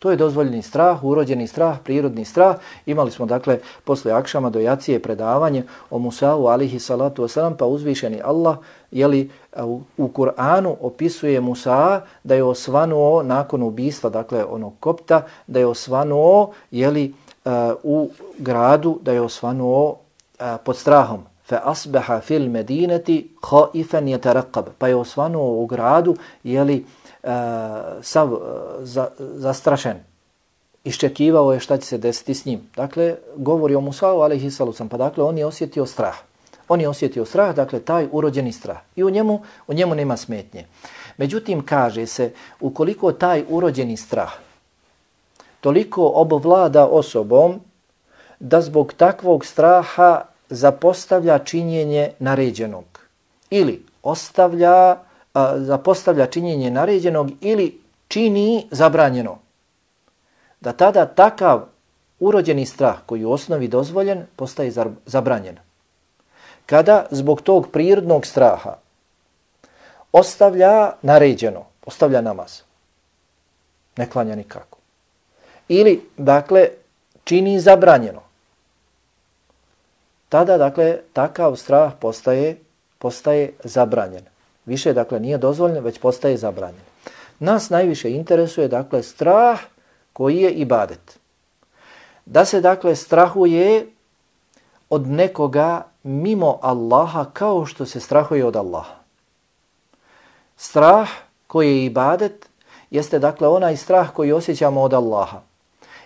Speaker 1: To je dozvoljeni strah, urođeni strah, prirodni strah. Imali smo, dakle, posle akšama do jacije predavanje o Musa'u, alihi salatu wasalam, pa uzvišeni Allah, jeli, u, u Kur'anu opisuje Musa da je osvanuo nakon ubistva, dakle, onog kopta, da je osvanuo, jeli, uh, u gradu, da je osvanuo uh, pod strahom. فَأَصْبَحَ فِي الْمَدِينَةِ خَائِفًا يَتَرَقَّبَ. Pa je osvanuo u gradu, jeli, Uh, sav uh, za, zastrašen iščekivao je šta će se desiti s njim. Dakle, govori o Musa'u alejhi salam, pa dakle on je osjetio strah. On je osjetio strah, dakle taj urođeni strah. I u njemu, u njemu nema smetnje. Međutim, kaže se, ukoliko taj urođeni strah toliko obvlada osobom da zbog takvog straha zapostavlja činjenje naređenog ili ostavlja, a, zapostavlja činjenje naređenog ili čini zabranjeno, da tada takav urođeni strah koji u osnovi dozvoljen postaje zabranjen. Kada zbog tog prirodnog straha ostavlja naređeno, ostavlja namaz, ne klanja nikako, ili dakle čini zabranjeno, tada dakle takav strah postaje, postaje zabranjen. Više dakle nije dozvoljen, već postaje zabranjen. Nas najviše interesuje dakle strah koji je ibadet. Da se dakle strahuje od nekoga mimo Allaha kao što se strahuje od Allaha. Strah koji je ibadet jeste dakle onaj strah koji osjećamo od Allaha.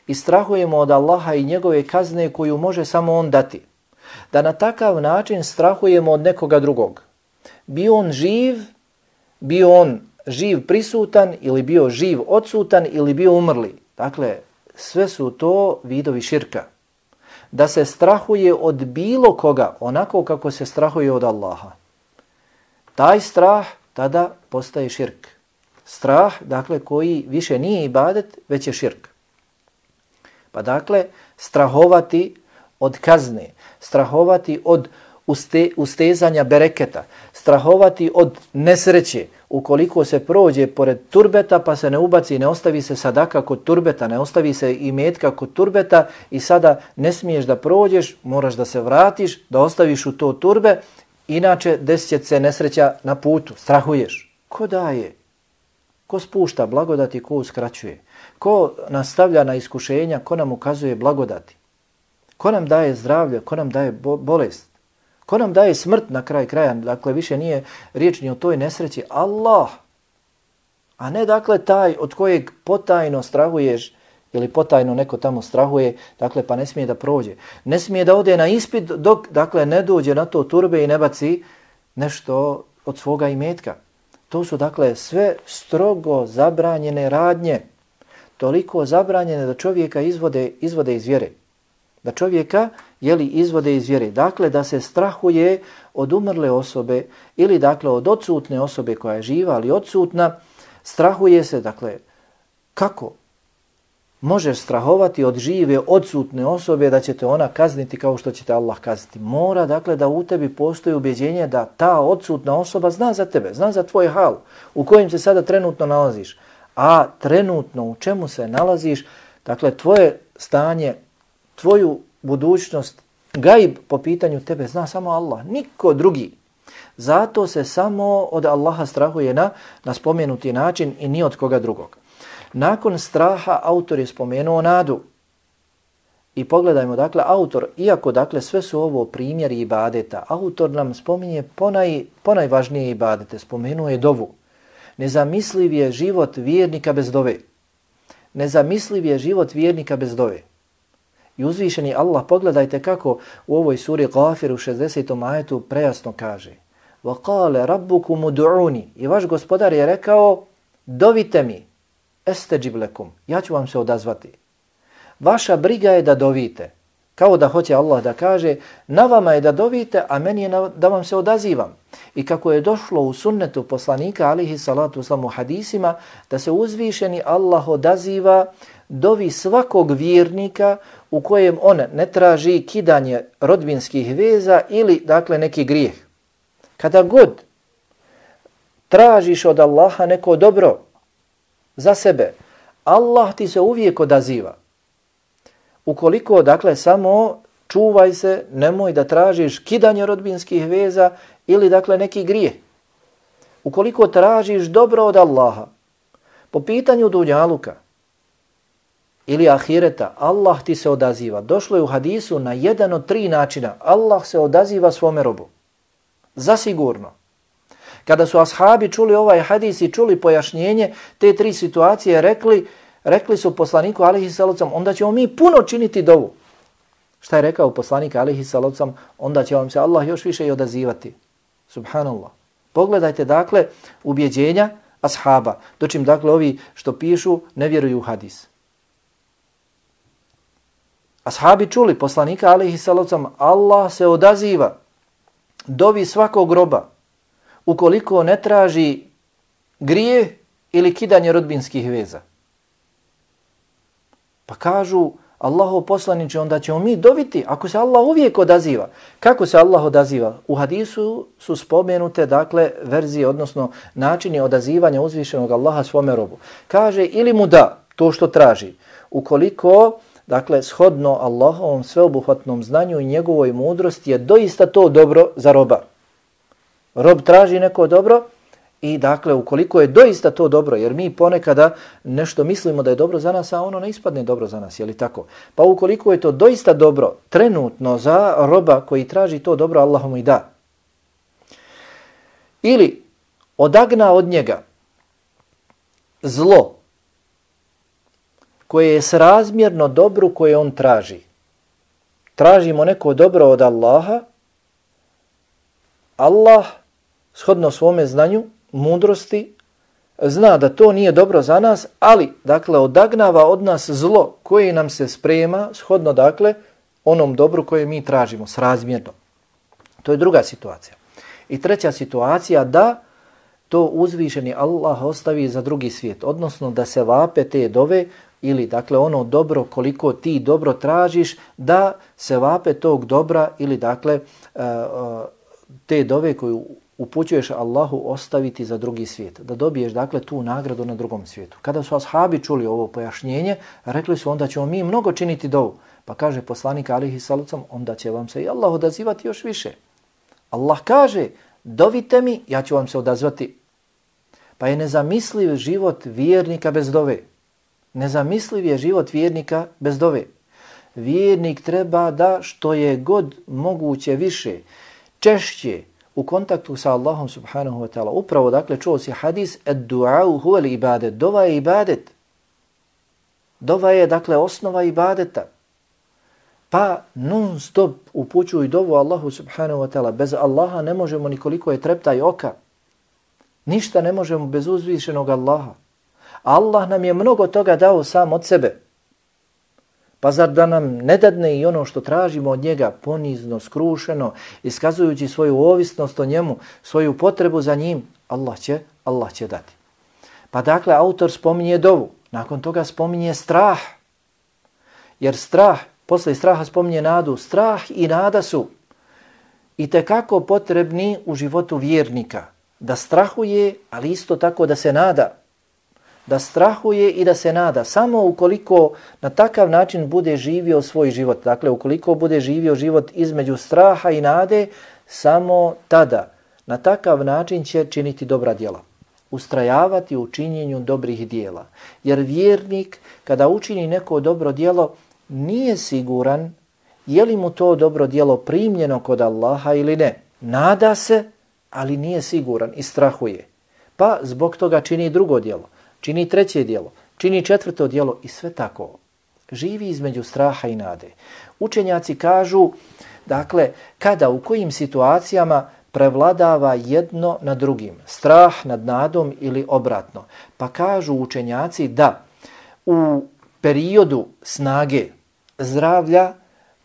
Speaker 1: I strahujemo od Allaha i njegove kazne koju može samo on dati. Da na takav način strahujemo od nekoga drugog. Bio on živ, bio on živ prisutan ili bio živ odsutan ili bio umrli. Dakle, sve su to vidovi širka. Da se strahuje od bilo koga onako kako se strahuje od Allaha. Taj strah tada postaje širk. Strah, dakle, koji više nije ibadet, već je širk. Pa dakle, strahovati od kazne, strahovati od uste, ustezanja bereketa, strahovati od nesreće, ukoliko se prođe pored turbeta pa se ne ubaci, ne ostavi se sadaka kod turbeta, ne ostavi se i metka kod turbeta i sada ne smiješ da prođeš, moraš da se vratiš, da ostaviš u to turbe, inače desit će se nesreća na putu, strahuješ. Ko daje? Ko spušta blagodati, ko uskraćuje? Ko nastavlja na iskušenja, ko nam ukazuje blagodati? Ko nam daje zdravlje, ko nam daje bo- bolest? Ko nam daje smrt na kraj kraja? Dakle, više nije riječ ni o toj nesreći. Allah. A ne dakle taj od kojeg potajno strahuješ ili potajno neko tamo strahuje, dakle pa ne smije da prođe. Ne smije da ode na ispit dok dakle ne dođe na to turbe i ne baci nešto od svoga imetka. To su dakle sve strogo zabranjene radnje. Toliko zabranjene da čovjeka izvode, izvode iz vjere. Da čovjeka jeli, izvode iz vjere. Dakle, da se strahuje od umrle osobe ili dakle od odsutne osobe koja je živa, ali odsutna, strahuje se, dakle, kako možeš strahovati od žive, odsutne osobe da će te ona kazniti kao što će te Allah kazniti. Mora, dakle, da u tebi postoji ubjeđenje da ta odsutna osoba zna za tebe, zna za tvoj hal u kojem se sada trenutno nalaziš. A trenutno u čemu se nalaziš, dakle, tvoje stanje, tvoju budućnost, gaib po pitanju tebe zna samo Allah, niko drugi. Zato se samo od Allaha strahuje na, na spomenuti način i ni od koga drugog. Nakon straha autor je spomenuo nadu. I pogledajmo, dakle, autor, iako dakle sve su ovo primjeri ibadeta, autor nam spominje ponaj, ponajvažnije ibadete, spomenuo je dovu. Nezamisliv je život vjernika bez dove. Nezamisliv je život vjernika bez dove. I uzvišeni Allah, pogledajte kako u ovoj suri Ghafir u šezdesetom ajetu prejasno kaže: وَقَالَ رَبُّكُمُ دُعُونِ I vaš gospodar je rekao, dovite mi, esteđib lekum, ja ću vam se odazvati. Vaša briga je da dovite. Kao da hoće Allah da kaže, na vama je da dovite, a meni je na, da vam se odazivam. I kako je došlo u sunnetu poslanika, alihi salatu wasalam, u hadisima, da se uzvišeni Allah odaziva dovi svakog vjernika u kojem on ne traži kidanje rodbinskih veza ili dakle neki grijeh. Kada god tražiš od Allaha neko dobro za sebe, Allah ti se uvijek odaziva. Ukoliko, dakle, samo čuvaj se, nemoj da tražiš kidanje rodbinskih veza ili, dakle, neki grijeh. Ukoliko tražiš dobro od Allaha, po pitanju dunjaluka ili ahireta, Allah ti se odaziva. Došlo je u hadisu na jedan od tri načina. Allah se odaziva svome robu. Zasigurno. Kada su ashabi čuli ovaj hadis i čuli pojašnjenje te tri situacije, rekli, rekli su poslaniku alejhi salatu onda ćemo mi puno činiti dovu. Šta je rekao poslanik alejhi salatu onda će vam se Allah još više i odazivati. Subhanallah. Pogledajte dakle ubjeđenja ashaba. Dočim dakle ovi što pišu ne vjeruju u hadis. Ashabi čuli poslanika alejhi salatu Allah se odaziva dovi svakog roba ukoliko ne traži grijeh ili kidanje rodbinskih veza. Pa kažu Allahov poslaniče, onda ćemo mi doviti ako se Allah uvijek odaziva. Kako se Allah odaziva? U hadisu su spomenute dakle verzije, odnosno načini odazivanja uzvišenog Allaha svome robu. Kaže ili mu da to što traži, ukoliko dakle shodno Allahovom sveobuhvatnom znanju i njegovoj mudrosti je doista to dobro za roba. Rob traži neko dobro i dakle ukoliko je doista to dobro, jer mi ponekada nešto mislimo da je dobro za nas, a ono ne ispadne dobro za nas, je li tako? Pa ukoliko je to doista dobro trenutno za roba koji traži to dobro, Allah mu i da. Ili odagna od njega zlo koje je srazmjerno dobru koje on traži. Tražimo neko dobro od Allaha, Allah shodno svome znanju, mudrosti, zna da to nije dobro za nas, ali dakle odagnava od nas zlo koje nam se sprema shodno dakle onom dobru koje mi tražimo, srazmjerno. To je druga situacija. I treća situacija da to uzvišeni Allah ostavi za drugi svijet, odnosno da se vape te dove ili dakle ono dobro koliko ti dobro tražiš, da se vape tog dobra ili dakle te dove koju upućuješ Allahu ostaviti za drugi svijet, da dobiješ dakle tu nagradu na drugom svijetu. Kada su ashabi čuli ovo pojašnjenje, rekli su onda ćemo mi mnogo činiti dovu. Pa kaže poslanik alejhi salatu onda će vam se i Allah odazivati još više. Allah kaže dovite mi, ja ću vam se odazvati. Pa je nezamisliv život vjernika bez dove. Nezamisliv je život vjernika bez dove. Vjernik treba da što je god moguće više, češće, u kontaktu sa Allahom subhanahu wa ta'ala. Upravo, dakle, čuo si hadis ad-du'au huwa al-ibadet. Dova je ibadet. Dova je, dakle, osnova ibadeta. Pa non stop upućuj dovu Allahu subhanahu wa ta'ala. Bez Allaha ne možemo nikoliko je treptaj oka. Ništa ne možemo bez uzvišenog Allaha. Allah nam je mnogo toga dao sam od sebe. Pa zar da nam ne dadne i ono što tražimo od njega ponizno, skrušeno, iskazujući svoju ovisnost o njemu, svoju potrebu za njim, Allah će, Allah će dati. Pa dakle, autor spominje dovu, nakon toga spominje strah. Jer strah, posle straha spominje nadu, strah i nada su itekako potrebni u životu vjernika. Da strahuje, ali isto tako da se nada. Da strahuje i da se nada. Samo ukoliko na takav način bude živio svoj život, dakle ukoliko bude živio život između straha i nade, samo tada na takav način će činiti dobra djela. Ustrajavati u činjenju dobrih djela. Jer vjernik kada učini neko dobro djelo nije siguran je li mu to dobro djelo primljeno kod Allaha ili ne. Nada se, ali nije siguran i strahuje. Pa zbog toga čini drugo djelo. Čini treće djelo, čini četvrto djelo i sve tako. Živi između straha i nade. Učenjaci kažu, dakle, kada, u kojim situacijama prevladava jedno nad drugim, strah nad nadom ili obratno. Pa kažu učenjaci da u periodu snage, zdravlja,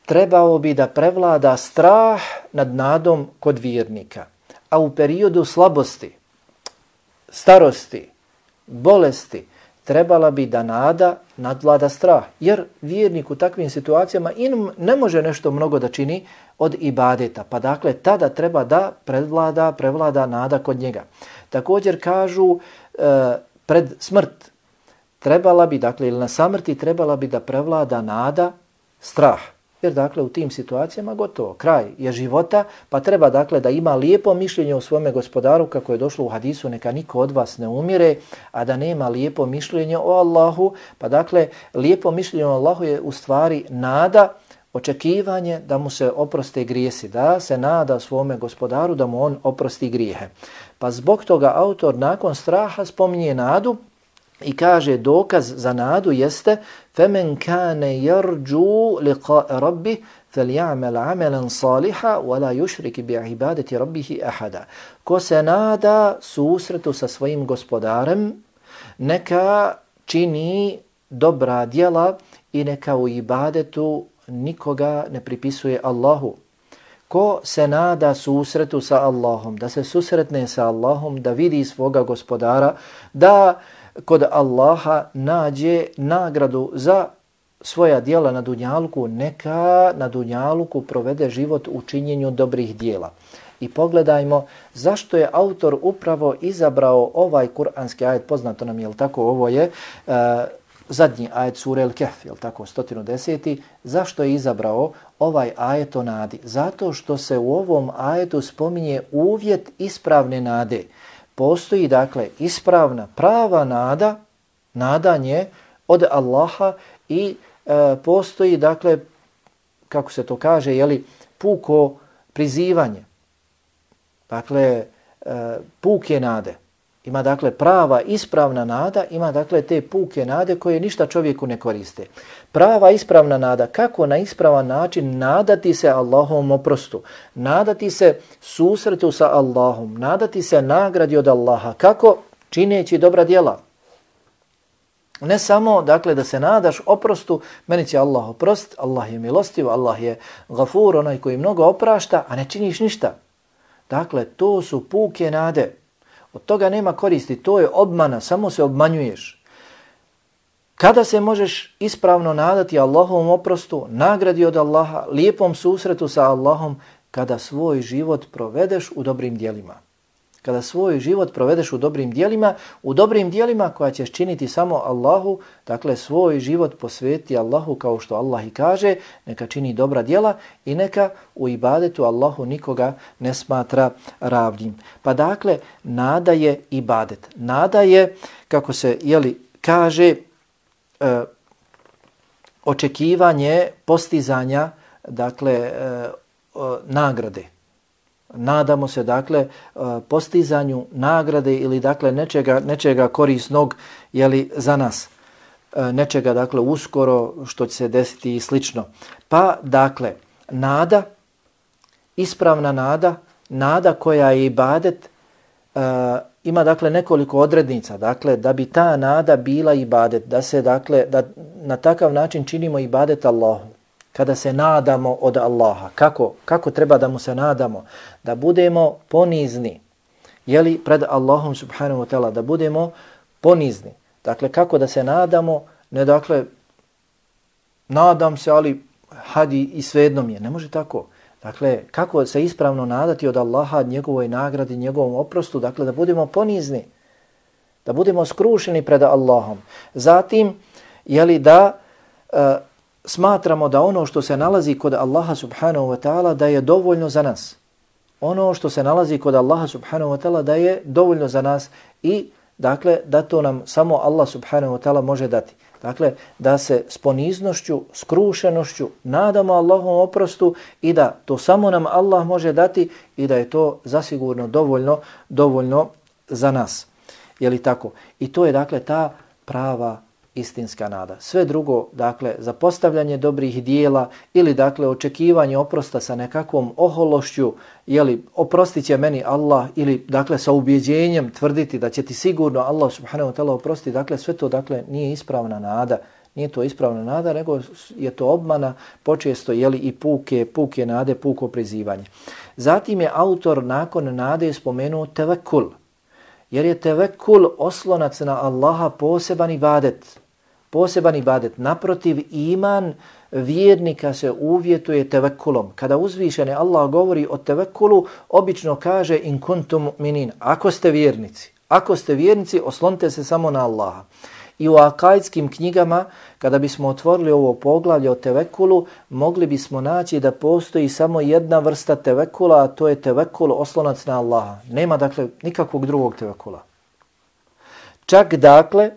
Speaker 1: trebao bi da prevlada strah nad nadom kod vjernika. A u periodu slabosti, starosti, bolesti, trebala bi da nada nadvlada strah. Jer vjernik u takvim situacijama in ne može nešto mnogo da čini od ibadeta. Pa dakle, tada treba da prevlada, prevlada nada kod njega. Također kažu e, pred smrt trebala bi, dakle, ili na samrti trebala bi da prevlada nada strah. Jer dakle u tim situacijama gotovo, kraj je života, pa treba dakle da ima lijepo mišljenje o svome gospodaru, kako je došlo u hadisu, neka niko od vas ne umire, a da nema lijepo mišljenje o Allahu. Pa dakle lijepo mišljenje o Allahu je u stvari nada, očekivanje da mu se oproste grijesi, da se nada svome gospodaru da mu on oprosti grijehe. Pa zbog toga autor nakon straha spominje nadu, I kaže dokaz za nadu jeste فَمَنْ كَانَ يَرْجُوا لِقَاءَ رَبِّهِ فَلْيَعْمَلْ عَمَلًا صَالِحًا وَلَا يُشْرِكِ بِعِبَادَةِ رَبِّهِ أَحَدًا. Ko se nada susretu sa svojim gospodarem, neka čini dobra djela i neka u ibadetu nikoga ne pripisuje Allahu. Ko se nada susretu sa Allahom, da se susretne sa Allahom, da vidi svoga gospodara, da kod Allaha nađe nagradu za svoja djela na dunjaluku, neka na dunjaluku provede život u činjenju dobrih djela. I pogledajmo zašto je autor upravo izabrao ovaj kuranski ajet, poznato nam je, jel tako, ovo je uh, zadnji ajet sure El-Kehf, jel tako, sto deset. Zašto je izabrao ovaj ajet o nadi? Zato što se u ovom ajetu spominje uvjet ispravne nade. Postoji dakle ispravna, prava nada, nadanje od Allaha i e, postoji dakle, kako se to kaže, jeli, puko prizivanje. Dakle, e, puke nade. Ima dakle prava, ispravna nada, ima dakle te puke nade koje ništa čovjeku ne koriste. Prava, ispravna nada, kako na ispravan način nadati se Allahovom oprostu, nadati se susretu sa Allahom, nadati se nagradi od Allaha, kako? Čineći dobra djela. Ne samo dakle da se nadaš oprostu, meni će Allah oprost, Allah je milostiv, Allah je gafur, onaj koji mnogo oprašta, a ne činiš ništa. Dakle, to su puke nade. Od toga nema koristi, to je obmana, samo se obmanjuješ. Kada se možeš ispravno nadati Allahovom oprostu, nagradi od Allaha, lijepom susretu sa Allahom, kada svoj život provedeš u dobrim djelima. Kada svoj život provedeš u dobrim djelima, u dobrim djelima koja ćeš činiti samo Allahu, dakle svoj život posveti Allahu kao što Allah i kaže, neka čini dobra djela i neka u ibadetu Allahu nikoga ne smatra ravnim. Pa dakle, nada je ibadet. Nada je, kako se jeli, kaže, e, očekivanje postizanja, dakle, e, o, nagrade. Nadamo se dakle postizanju nagrade ili dakle nečega, nečega korisnog jeli, za nas. Nečega dakle uskoro što će se desiti i slično. Pa dakle nada, ispravna nada, nada koja je ibadet, uh, ima dakle nekoliko odrednica. Dakle da bi ta nada bila ibadet, da se dakle da na takav način činimo ibadet Allahu. Kada se nadamo od Allaha, kako, kako treba da mu se nadamo? Da budemo ponizni, jeli, pred Allahom subhanahu wa ta'ala, da budemo ponizni. Dakle, kako da se nadamo? Ne, dakle, nadam se, ali hadi i svejedno mi je. Ne može tako. Dakle, kako se ispravno nadati od Allaha, njegovoj nagradi, njegovom oprostu? Dakle, da budemo ponizni, da budemo skrušeni pred Allahom. Zatim, jeli, da Uh, smatramo da ono što se nalazi kod Allaha subhanahu wa ta'ala da je dovoljno za nas. Ono što se nalazi kod Allaha subhanahu wa ta'ala da je dovoljno za nas i dakle da to nam samo Allah subhanahu wa ta'ala može dati. Dakle da se s poniznošću, skrušenošću nadamo Allahovom oprostu i da to samo nam Allah može dati i da je to zasigurno dovoljno, dovoljno za nas. Je li tako? I to je dakle ta prava istinska nada. Sve drugo, dakle, za postavljanje dobrih dijela ili, dakle, očekivanje oprosta sa nekakvom ohološću, jeli, oprostit će meni Allah ili, dakle, sa ubjeđenjem tvrditi da će ti sigurno Allah subhanahu wa ta'ala oprostiti, dakle, sve to, dakle, nije ispravna nada. Nije to ispravna nada, nego je to obmana, počesto, jeli, i puke, puke nade, puko prizivanje. Zatim je autor nakon nade spomenuo tevekul, jer je tevekul oslonac na Allaha poseban ibadet. Poseban ibadet. Naprotiv, iman vjernika se uvjetuje tevekulom. Kada uzvišeni Allah govori o tevekulu, obično kaže in kuntum mu'minin. Ako ste vjernici, ako ste vjernici, oslonite se samo na Allaha. I u akajskim knjigama, kada bismo otvorili ovo poglavlje o tevekulu, mogli bismo naći da postoji samo jedna vrsta tevekula, a to je tevekul oslonac na Allaha. Nema dakle nikakvog drugog tevekula. Čak dakle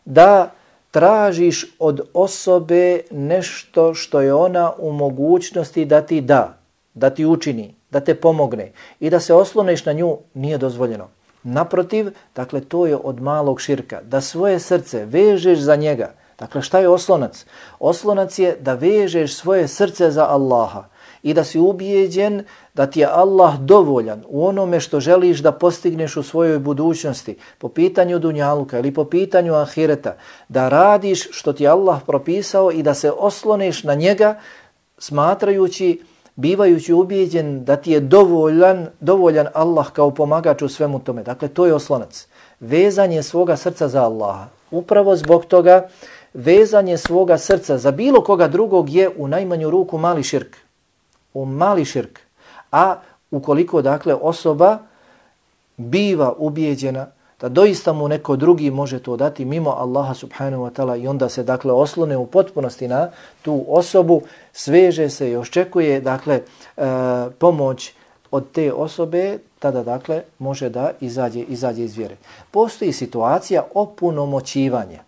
Speaker 1: da tražiš od osobe nešto što je ona u mogućnosti da ti da, da ti učini, da te pomogne i da se osloniš na nju, nije dozvoljeno. Naprotiv, dakle, to je od malog širka. Da svoje srce vežeš za njega. Dakle, šta je oslonac? Oslonac je da vežeš svoje srce za Allaha i da si ubijeđen da ti je Allah dovoljan u onome što želiš da postigneš u svojoj budućnosti, po pitanju dunjaluka ili po pitanju ahireta, da radiš što ti je Allah propisao i da se osloniš na njega, smatrajući, bivajući ubijeđen da ti je dovoljan, dovoljan Allah kao pomagač u svemu tome. Dakle, to je oslonac. Vezanje svoga srca za Allaha. Upravo zbog toga vezanje svoga srca za bilo koga drugog je u najmanju ruku mali širk. U mali širk. A ukoliko, dakle, osoba biva ubijeđena da doista mu neko drugi može to dati mimo Allaha subhanahu wa ta'ala i onda se, dakle, oslone u potpunosti na tu osobu, sveže se i očekuje, dakle, e, pomoć od te osobe, tada, dakle, može da izađe, izađe iz vjere. Postoji situacija opunomoćivanja.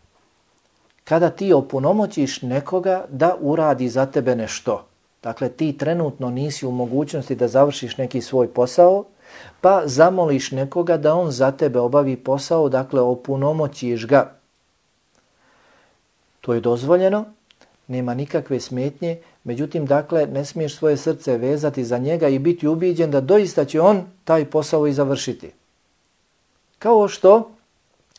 Speaker 1: Kada ti opunomoćiš nekoga da uradi za tebe nešto. Dakle, ti trenutno nisi u mogućnosti da završiš neki svoj posao, pa zamoliš nekoga da on za tebe obavi posao, dakle, opunomoćiš ga. To je dozvoljeno, nema nikakve smetnje, međutim, dakle, ne smiješ svoje srce vezati za njega i biti ubijeđen da doista će on taj posao i završiti. Kao što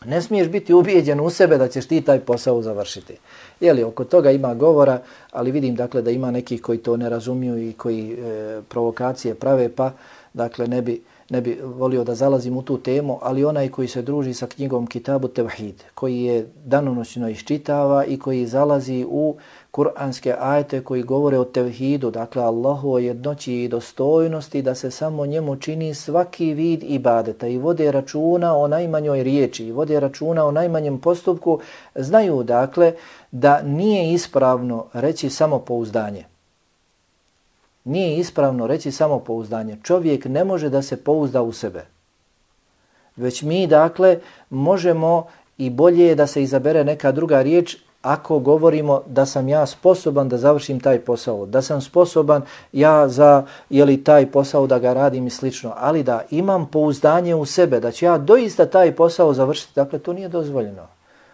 Speaker 1: ne smiješ biti ubijeđen u sebe da ćeš ti taj posao završiti. Jeli, oko toga ima govora, ali vidim, dakle, da ima nekih koji to ne razumiju i koji e, provokacije prave, pa, dakle, ne bi, ne bi volio da zalazim u tu temu, ali onaj koji se druži sa knjigom Kitabu Tevhid, koji je danonoćno iščitava i koji zalazi u kuranske ajete koji govore o tevhidu, dakle, Allahu o jednoći i dostojnosti, da se samo njemu čini svaki vid ibadeta i vode računa o najmanjoj riječi i vode računa o najmanjem postupku, znaju, dakle, da nije ispravno reći samopouzdanje. Nije ispravno reći samopouzdanje. Čovjek ne može da se pouzda u sebe. Već mi, dakle, možemo i bolje je da se izabere neka druga riječ ako govorimo da sam ja sposoban da završim taj posao, da sam sposoban ja za jeli, taj posao da ga radim i slično, ali da imam pouzdanje u sebe, da ću ja doista taj posao završiti, dakle, to nije dozvoljeno.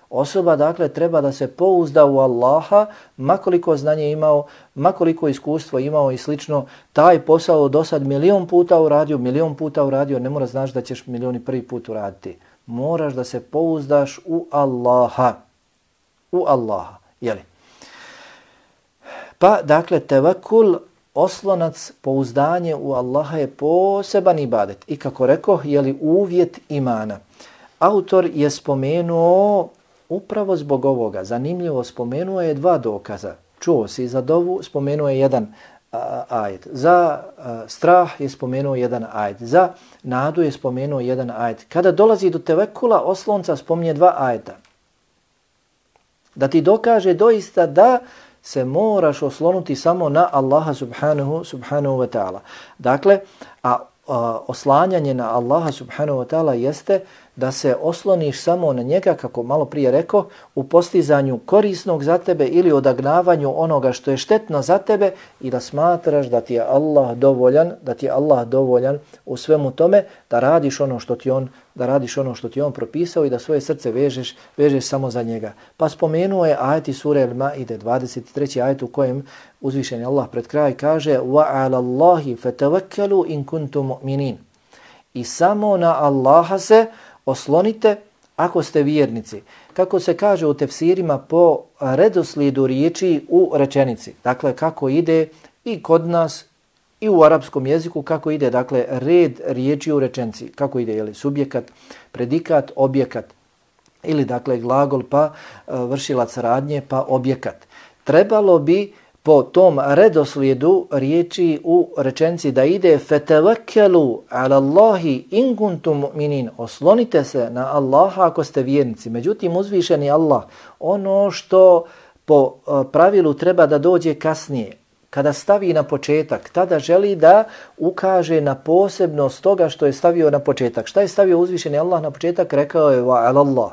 Speaker 1: Osoba, dakle, treba da se pouzda u Allaha, makoliko znanje imao, makoliko iskustvo imao i slično, taj posao do sad milion puta uradio, milion puta uradio, ne mora znaš da ćeš milioni prvi put uraditi. Moraš da se pouzdaš u Allaha. U Allaha, jeli? Pa, dakle, tevakul, oslonac, pouzdanje u Allaha je poseban ibadet. I kako rekao, jeli, uvjet imana. Autor je spomenuo upravo zbog ovoga, zanimljivo, spomenuo je dva dokaza. Čuo si za dovu, spomenuo je jedan a, ajet. Za a, strah je spomenuo jedan ajet. Za nadu je spomenuo jedan ajet. Kada dolazi do tevekula, oslonca spominje dva ajeta. Da ti dokaže doista da se moraš oslonuti samo na Allaha subhanahu, subhanahu wa ta'ala. Dakle, a, a oslanjanje na Allaha subhanahu wa ta'ala jeste da se osloniš samo na njega, kako malo prije rekao, u postizanju korisnog za tebe ili odagnavanju onoga što je štetno za tebe i da smatraš da ti je Allah dovoljan, da ti je Allah dovoljan u svemu tome, da radiš ono što ti on, da radiš ono što ti on propisao i da svoje srce vežeš, vežeš samo za njega. Pa spomenuo je ajet iz sure Al-Maide, dvadeset treći ajet u kojem uzvišeni Allah pred kraj kaže: "Wa 'ala Allahi fatawakkalu in kuntum mu'minin." I samo na Allaha se oslonite ako ste vjernici. Kako se kaže u tefsirima po redoslijedu riječi u rečenici. Dakle, kako ide i kod nas i u arapskom jeziku, kako ide, dakle, red riječi u rečenici. Kako ide, jeli, subjekat, predikat, objekat. Ili, dakle, glagol pa vršilac radnje pa objekat. Trebalo bi po tom redoslijedu riječi u rečenici da ide fetavakkelu ala Allahi in kuntum mu'minin. Oslonite se na Allaha ako ste vjernici. Međutim, uzvišeni Allah, ono što po pravilu treba da dođe kasnije, kada stavi na početak, tada želi da ukaže na posebnost toga što je stavio na početak. Šta je stavio uzvišeni Allah na početak? Rekao je wa ala Allah.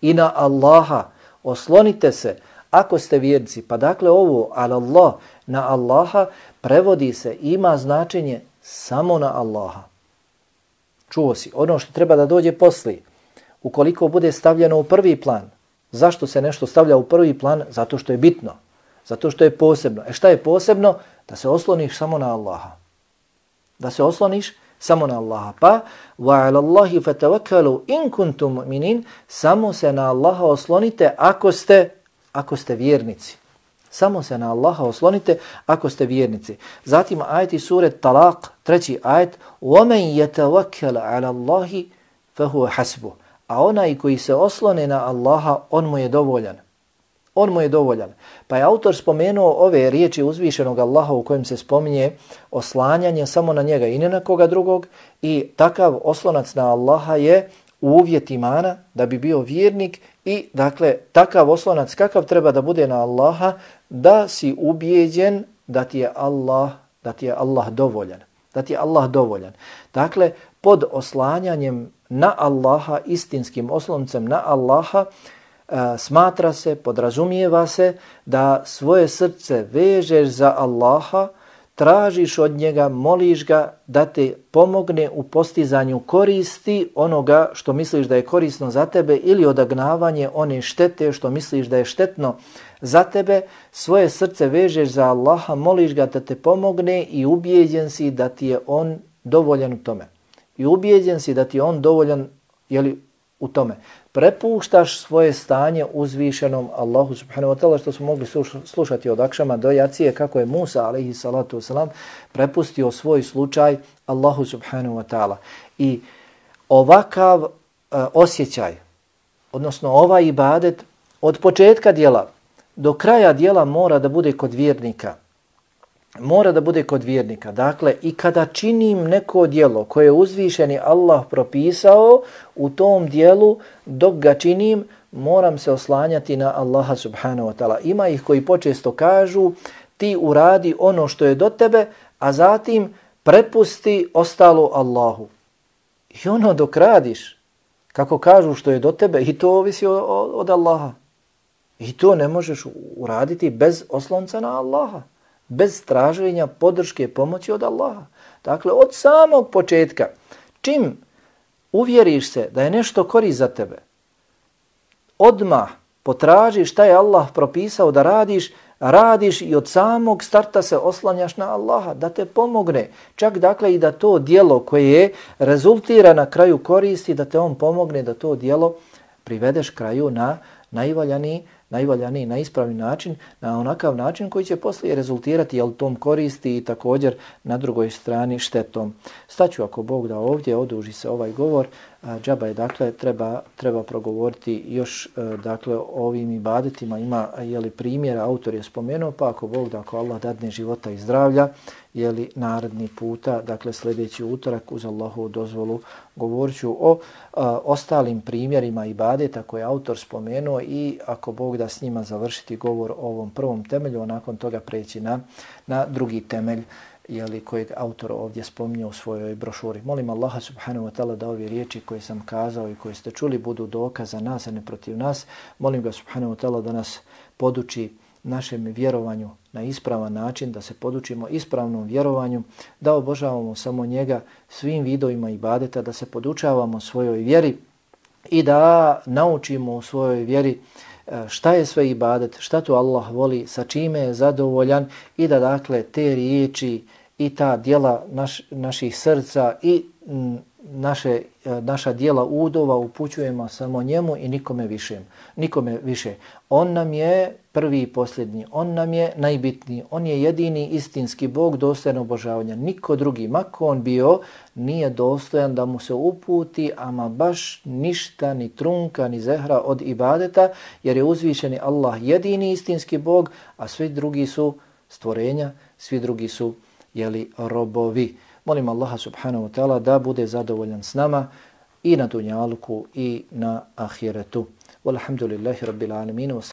Speaker 1: I na Allaha. Oslonite se ako ste vjernici. Pa dakle ovo ala Allah, na Allaha, prevodi se, ima značenje samo na Allaha. čuo si. Ono što treba da dođe poslije, ukoliko bude stavljeno u prvi plan, zašto se nešto stavlja u prvi plan? Zato što je bitno, zato što je posebno. E šta je posebno? Da se osloniš samo na Allaha. Da se osloniš samo na Allaha. Pa, وَعَلَى اللَّهِ فَتَوَكَّلُوا إِن كُنْتُمْ مُؤْمِنِينَ, samo se na Allaha oslonite ako ste, ako ste vjernici. Samo se na Allaha oslonite ako ste vjernici. Zatim ajeti sure Talaq, treći ajet, وَمَنْ يَتَوَكَّلَ عَلَى اللَّهِ فَهُوَ حَسْبُهُ, a onaj koji se oslone na Allaha, on mu je dovoljan. On mu je dovoljan. Pa je autor spomenuo ove riječi uzvišenog Allaha u kojem se spominje oslanjanje samo na njega i ne na koga drugog, i takav oslonac na Allaha je uvjet imana da bi bio vjernik. I dakle takav oslonac kakav treba da bude na Allaha, da si ubijeđen da ti je Allah, da ti je Allah dovoljan. Da ti je Allah dovoljan. Dakle, pod oslanjanjem na Allaha, istinskim osloncem na Allaha, Uh, smatra se, podrazumijeva se da svoje srce vežeš za Allaha, tražiš od njega, moliš ga da te pomogne u postizanju koristi onoga što misliš da je korisno za tebe ili odagnavanje one štete što misliš da je štetno za tebe. Svoje srce vežeš za Allaha, moliš ga da te pomogne i ubijeđen si da ti je on dovoljan u tome. I ubijeđen si da ti je on dovoljan, jeli, u tome. Prepuštaš svoje stanje uzvišenom Allahu subhanahu wa ta'ala, što smo mogli slušati od akšama do jacije, kako je Musa alaihi salatu wasalam prepustio svoj slučaj Allahu subhanahu wa ta'ala. I ovakav uh, osjećaj, odnosno ovaj ibadet, od početka dijela do kraja dijela mora da bude kod vjernika. Mora da bude kod vjernika. Dakle, i kada činim neko djelo koje je uzvišeni Allah propisao, u tom djelu dok ga činim moram se oslanjati na Allaha subhanahu wa ta'ala. Ima ih koji počesto kažu ti uradi ono što je do tebe, a zatim prepusti ostalo Allahu. I ono dok radiš, kako kažu što je do tebe, i to ovisi od, od Allaha. I to ne možeš uraditi bez oslonca na Allaha. Bez traženja podrške pomoći od Allaha. Dakle, od samog početka, čim uvjeriš se da je nešto korist za tebe, odmah potražiš šta je Allah propisao da radiš, radiš i od samog starta se oslanjaš na Allaha da te pomogne. Čak dakle i da to djelo koje rezultira na kraju koristi, da te on pomogne da to djelo privedeš kraju na najvaljaniji najvaljaniji, na ispravni način, na onakav način koji će poslije rezultirati jel tom koristi i također na drugoj strani štetom. Staću ako Bog da ovdje, oduži se ovaj govor, džaba je dakle treba, treba progovoriti još dakle o ovim ibadetima, ima jeli primjera, autor je spomenuo, pa ako Bog da, ako Allah dadne života i zdravlja, jeli naredni puta, dakle sljedeći utorak uz Allahovu dozvolu govorit ću o a, ostalim primjerima ibadeta koje je autor spomenuo i ako Bog da s njima završiti govor o ovom prvom temelju, a nakon toga preći na, na drugi temelj jeli, kojeg autor ovdje spominje u svojoj brošuri. Molim Allaha subhanahu wa ta'ala da ove riječi koje sam kazao i koje ste čuli budu dokaz za nas, a ne protiv nas. Molim ga subhanahu wa ta'ala da nas poduči našem vjerovanju na ispravan način, da se podučimo ispravnom vjerovanju, da obožavamo samo njega svim vidovima ibadeta, da se podučavamo svojoj vjeri i da naučimo u svojoj vjeri šta je sve ibadet, šta tu Allah voli, sa čime je zadovoljan i da dakle te riječi i ta djela naš, naših srca i m, naše, naša djela udova upućujemo samo njemu i nikome više. Nikome više. On nam je prvi i posljednji, on nam je najbitniji, on je jedini istinski Bog dostojan obožavanja. Niko drugi, mako on bio, nije dostojan da mu se uputi, ama baš ništa, ni trunka, ni zehra od ibadeta, jer je uzvišeni Allah jedini istinski Bog, a svi drugi su stvorenja, svi drugi su jeli, robovi. Molim Allaha subhanahu wa ta'ala da bude zadovoljan s nama i na dunjaluku i na ahiretu. Walhamdulillahi rabbil alamin.